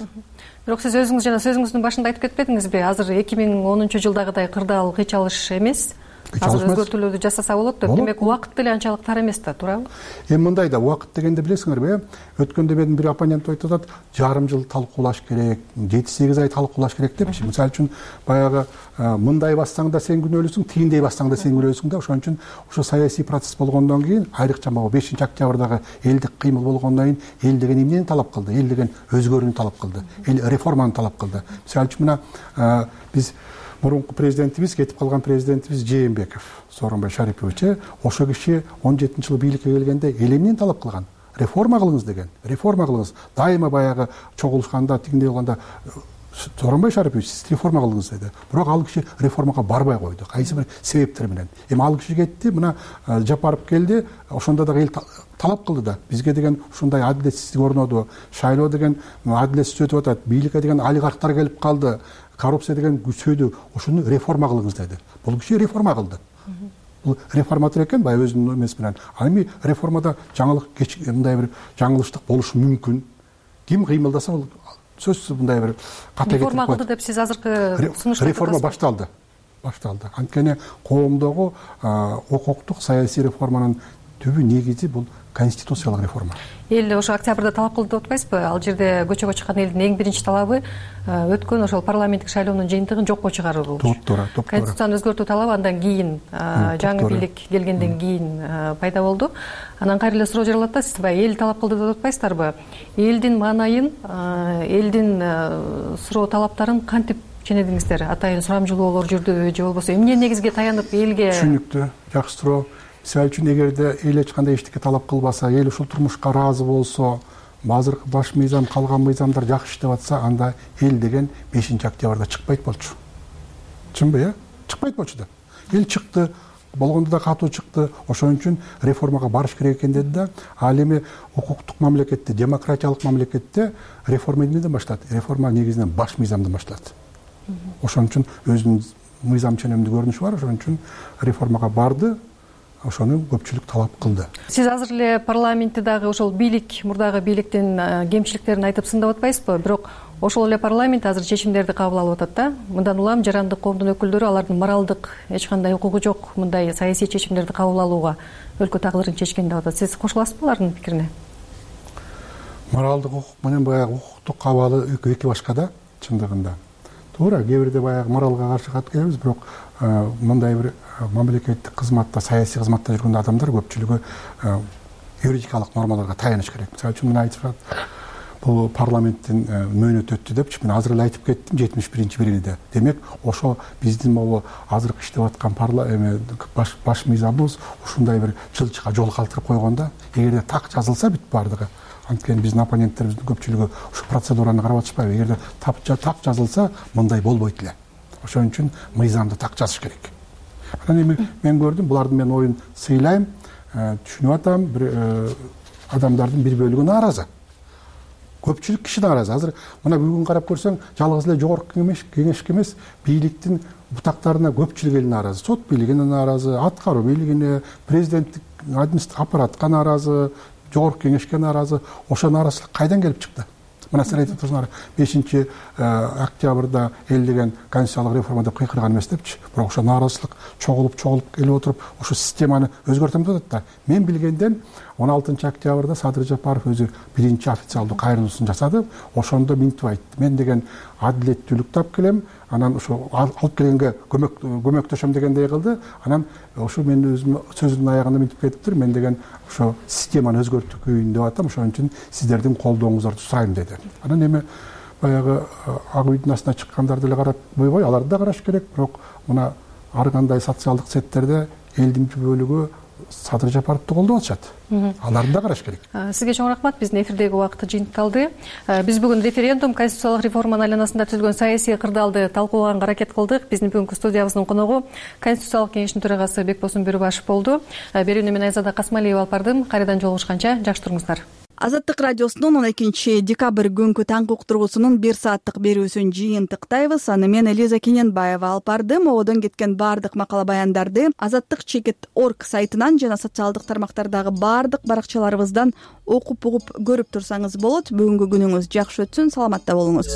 Бирок сиз өзүңүз жана сөзүңүздүн башында айтып кетпедиңизби? Азыр эки миң онунчу жылдагыдай кырдаал кыйчалыш эмес. Азыр өзгөртүүлөрдү жасаса болот деп. Демек убакыт деле анчалык тар эмес да, туурабы? Эми мындай да, убакыт дегенде билесиңерби, өткөндө менин бир оппонент айтып атат, жарым жыл талкуулаш керек, жети сегиз ай талкуулаш керек депчи. Мисалы үчүн баягы мындай бассаң да сен күнөөлүүсүң, тигиндей бассаң да сен күнөөлүүсүң да. Ошон үчүн ошо саясий процесс болгондон кийин, айрыкча могу бешинчи октябрдагы элдик кыймыл болгондон кийин эл деген эмнени талап кылды? Эл деген өзгөрүүнү талап кылды. Эл реформаны талап кылды. Мисалы үчүн мына биз мурунку президентибиз, кетип калган президентибиз Жээнбеков, Сооронбай Шарипович, ошо киши он жетинчи жылы бийликке келгенде эл эмнени талап кылган? Реформа кылыңыз деген. Реформа кылыңыз. Дайыма баягы чогулушканда, тигиндей болгондо Сооронбай Шарипович сиз реформа кылыңыз деди. Бирок ал киши реформага барбай койду. Кайсы бир себептер менен. Эми ал киши кетти, мына Жапаров келди, ошондо дагы эл талап кылды да. Бизге деген ушундай адилетсиздик орноду, шайлоо деген адилетсиз өтүп атат, бийликке деген олигархтар келип калды, коррупция деген күчөдү, ошону реформа кылыңыз деди. Бул киши реформа кылды. Бул реформатор экен, баягы өзүнүн эмеси менен. Ал эми реформада жаңылык, мындай бир жаңылыштык болушу мүмкүн. Ким кыймылдаса бул сөзсүз мындай бир ката кетип реформа кылды деп сиз азыркы сунушту реформа башталды. Башталды. Анткени коомдогу укуктук саясий реформанын түбү негизи бул конституциялык реформа. Эл ошо октябрда талап кылды деп атпайсызбы? Ал жерде көчөгө чыккан элдин эң биринчи талабы өткөн ошол парламенттик шайлоонун жыйынтыгын жокко чыгаруу болчу. Туура, туура. Конституцияны өзгөртүү талабы андан кийин, жаңы бийлик келгенден кийин пайда болду. Анан кайра эле суроо жаралат да, сиз баягы эл талап кылды деп атпайсыздарбы? Элдин маанайын, элдин суроо талаптарын кантип ченедиңиздер? Атайын сурамжылоолор жүрдүбү же болбосо эмне негизге таянып элге? Түшүнүктүү, жакшы суроо. Мисалы үчүн эгерде эл эч кандай эчтеке талап кылбаса, эл ушул турмушка ыраазы болсо, азыркы баш мыйзам, калган мыйзамдар жакшы иштеп атса, анда эл деген бешинчи октябрда чыкпайт болчу. Чынбы, э? Чыкпайт болчу да. Эл чыкты, болгондо да катуу чыкты. Ошон үчүн реформага барыш керек экен деди да. Ал эми укуктук мамлекетте, демократиялык мамлекетте реформа эмнеден башталат? Реформа негизинен баш мыйзамдан башталат. Ошон үчүн өзүнүн мыйзам ченемдүү көрүнүшү бар. Ошон үчүн реформага барды. Ошону көпчүлүк талап кылды. Сиз азыр эле парламентте дагы ошол бийлик, мурдагы бийликтин кемчиликтерин айтып сындап атпайсызбы? Бирок ошол эле парламент азыр чечимдерди кабыл алып атат да. Мындан улам жарандык коомдун өкүлдөрү алардын моралдык эч кандай укугу жок мындай саясий чечимдерди кабыл алууга өлкө тагдырын чечкен деп атат. Сиз кошуласызбы алардын пикирине? Моралдык укук менен баягы укуктук абалы эки башка да, чындыгында. Туура, кээ бирде баягы моралга каршы кат келебиз, бирок мындай бир мамлекеттик кызматта, саясий кызматта жүргөн адамдар көпчүлүгү юридикалык нормаларга таяныш керек. Мисалы үчүн мына айтып атат, бул парламенттин мөөнөтү өттү депчи, мен азыр эле айтып кеттим, жетимиш биринчи бириде. Демек, ошо биздин могу азыркы иштеп аткан баш баш мыйзамыбыз ушундай бир жылчыга жол калтырып койгондо, эгерде так жазылса бүт бардыгы. Анткени биздин оппоненттерибиздин көпчүлүгү ушу процедураны карап атышпайбы? Эгерде так жазылса, мындай болбойт эле. Ошон үчүн мыйзамды так жазыш керек. Анан эми мен көрдүм, булардын мен оюн сыйлайм, түшүнүп атам, бир адамдардын бир бөлүгү нааразы. Көпчүлүк киши нааразы. Азыр мына бүгүн карап көрсөң, жалгыз эле жогорку кеңеш, кеңешке эмес, бийликтин бутактарына көпчүлүк эл нааразы. Сот бийлигине нааразы, аткаруу бийлигине, президенттик аппаратка нааразы, жогорку кеңешке нааразы. Ошо нааразычылык кайдан келип чыкты? Мына сиз айтып турсуңар, бешинчи октябрда эл деген конституциялык реформа деп кыйкырган эмес депчи. Бирок ошо нааразычылык чогулуп чогулуп келип отуруп, ошо системаны өзгөртөм деп атат да. Мен билгенден он алтынчы октябрда Садыр Жапаров өзү биринчи официалдуу кайрылуусун жасады. Ошондо минтип айтты. Мен деген адилеттүүлүк тап келем, анан ошо алып келгенге көмөк көмөктөшөм дегендей кылды. Анан ошо мен өзүм сөзүмдүн аягында минтип кетиптир. Мен деген ошо системаны өзгөртүүн деп атам. Ошон үчүн сиздердин колдооңуздарды сурайм деди. Анан эми баягы ак үйдүн астына чыккандарды эле карап койбой, аларды да караш керек. Бирок мына ар кандай социалдык сеттерде элдин бөлүгү Садыр Жапаровду колдоп атышат. Аларды да караш керек. Сизге чоң рахмат. Биздин эфирдеги убакыт жыйынтыкталды. Биз бүгүн референдум, конституциялык реформанын айланасында түзүлгөн саясий кырдаалды талкуулаганга аракет кылдык. Биздин бүгүнкү студиябыздын коногу Конституциялык кеңештин төрагасы Бекбосун Бөрүбашев болду. Берүүнү мен Айзада Касмалиева алып бардым. Кайрадан жолугушканча жакшы туруңуздар. Азаттык радиосунун он экинчи декабрь күнгү таңкы уктургусунун бир сааттык берүүсүн жыйынтыктайбыз. Аны мен Элиза Кененбаева алып бардым. Ободон кеткен баардык макала баяндарды азаттык чекит точка орг сайтынан жана социалдык тармактардагы баардык баракчаларыбыздан окуп угуп көрүп турсаңыз болот. Бүгүнкү күнүңүз жакшы өтсүн, саламатта болуңуз.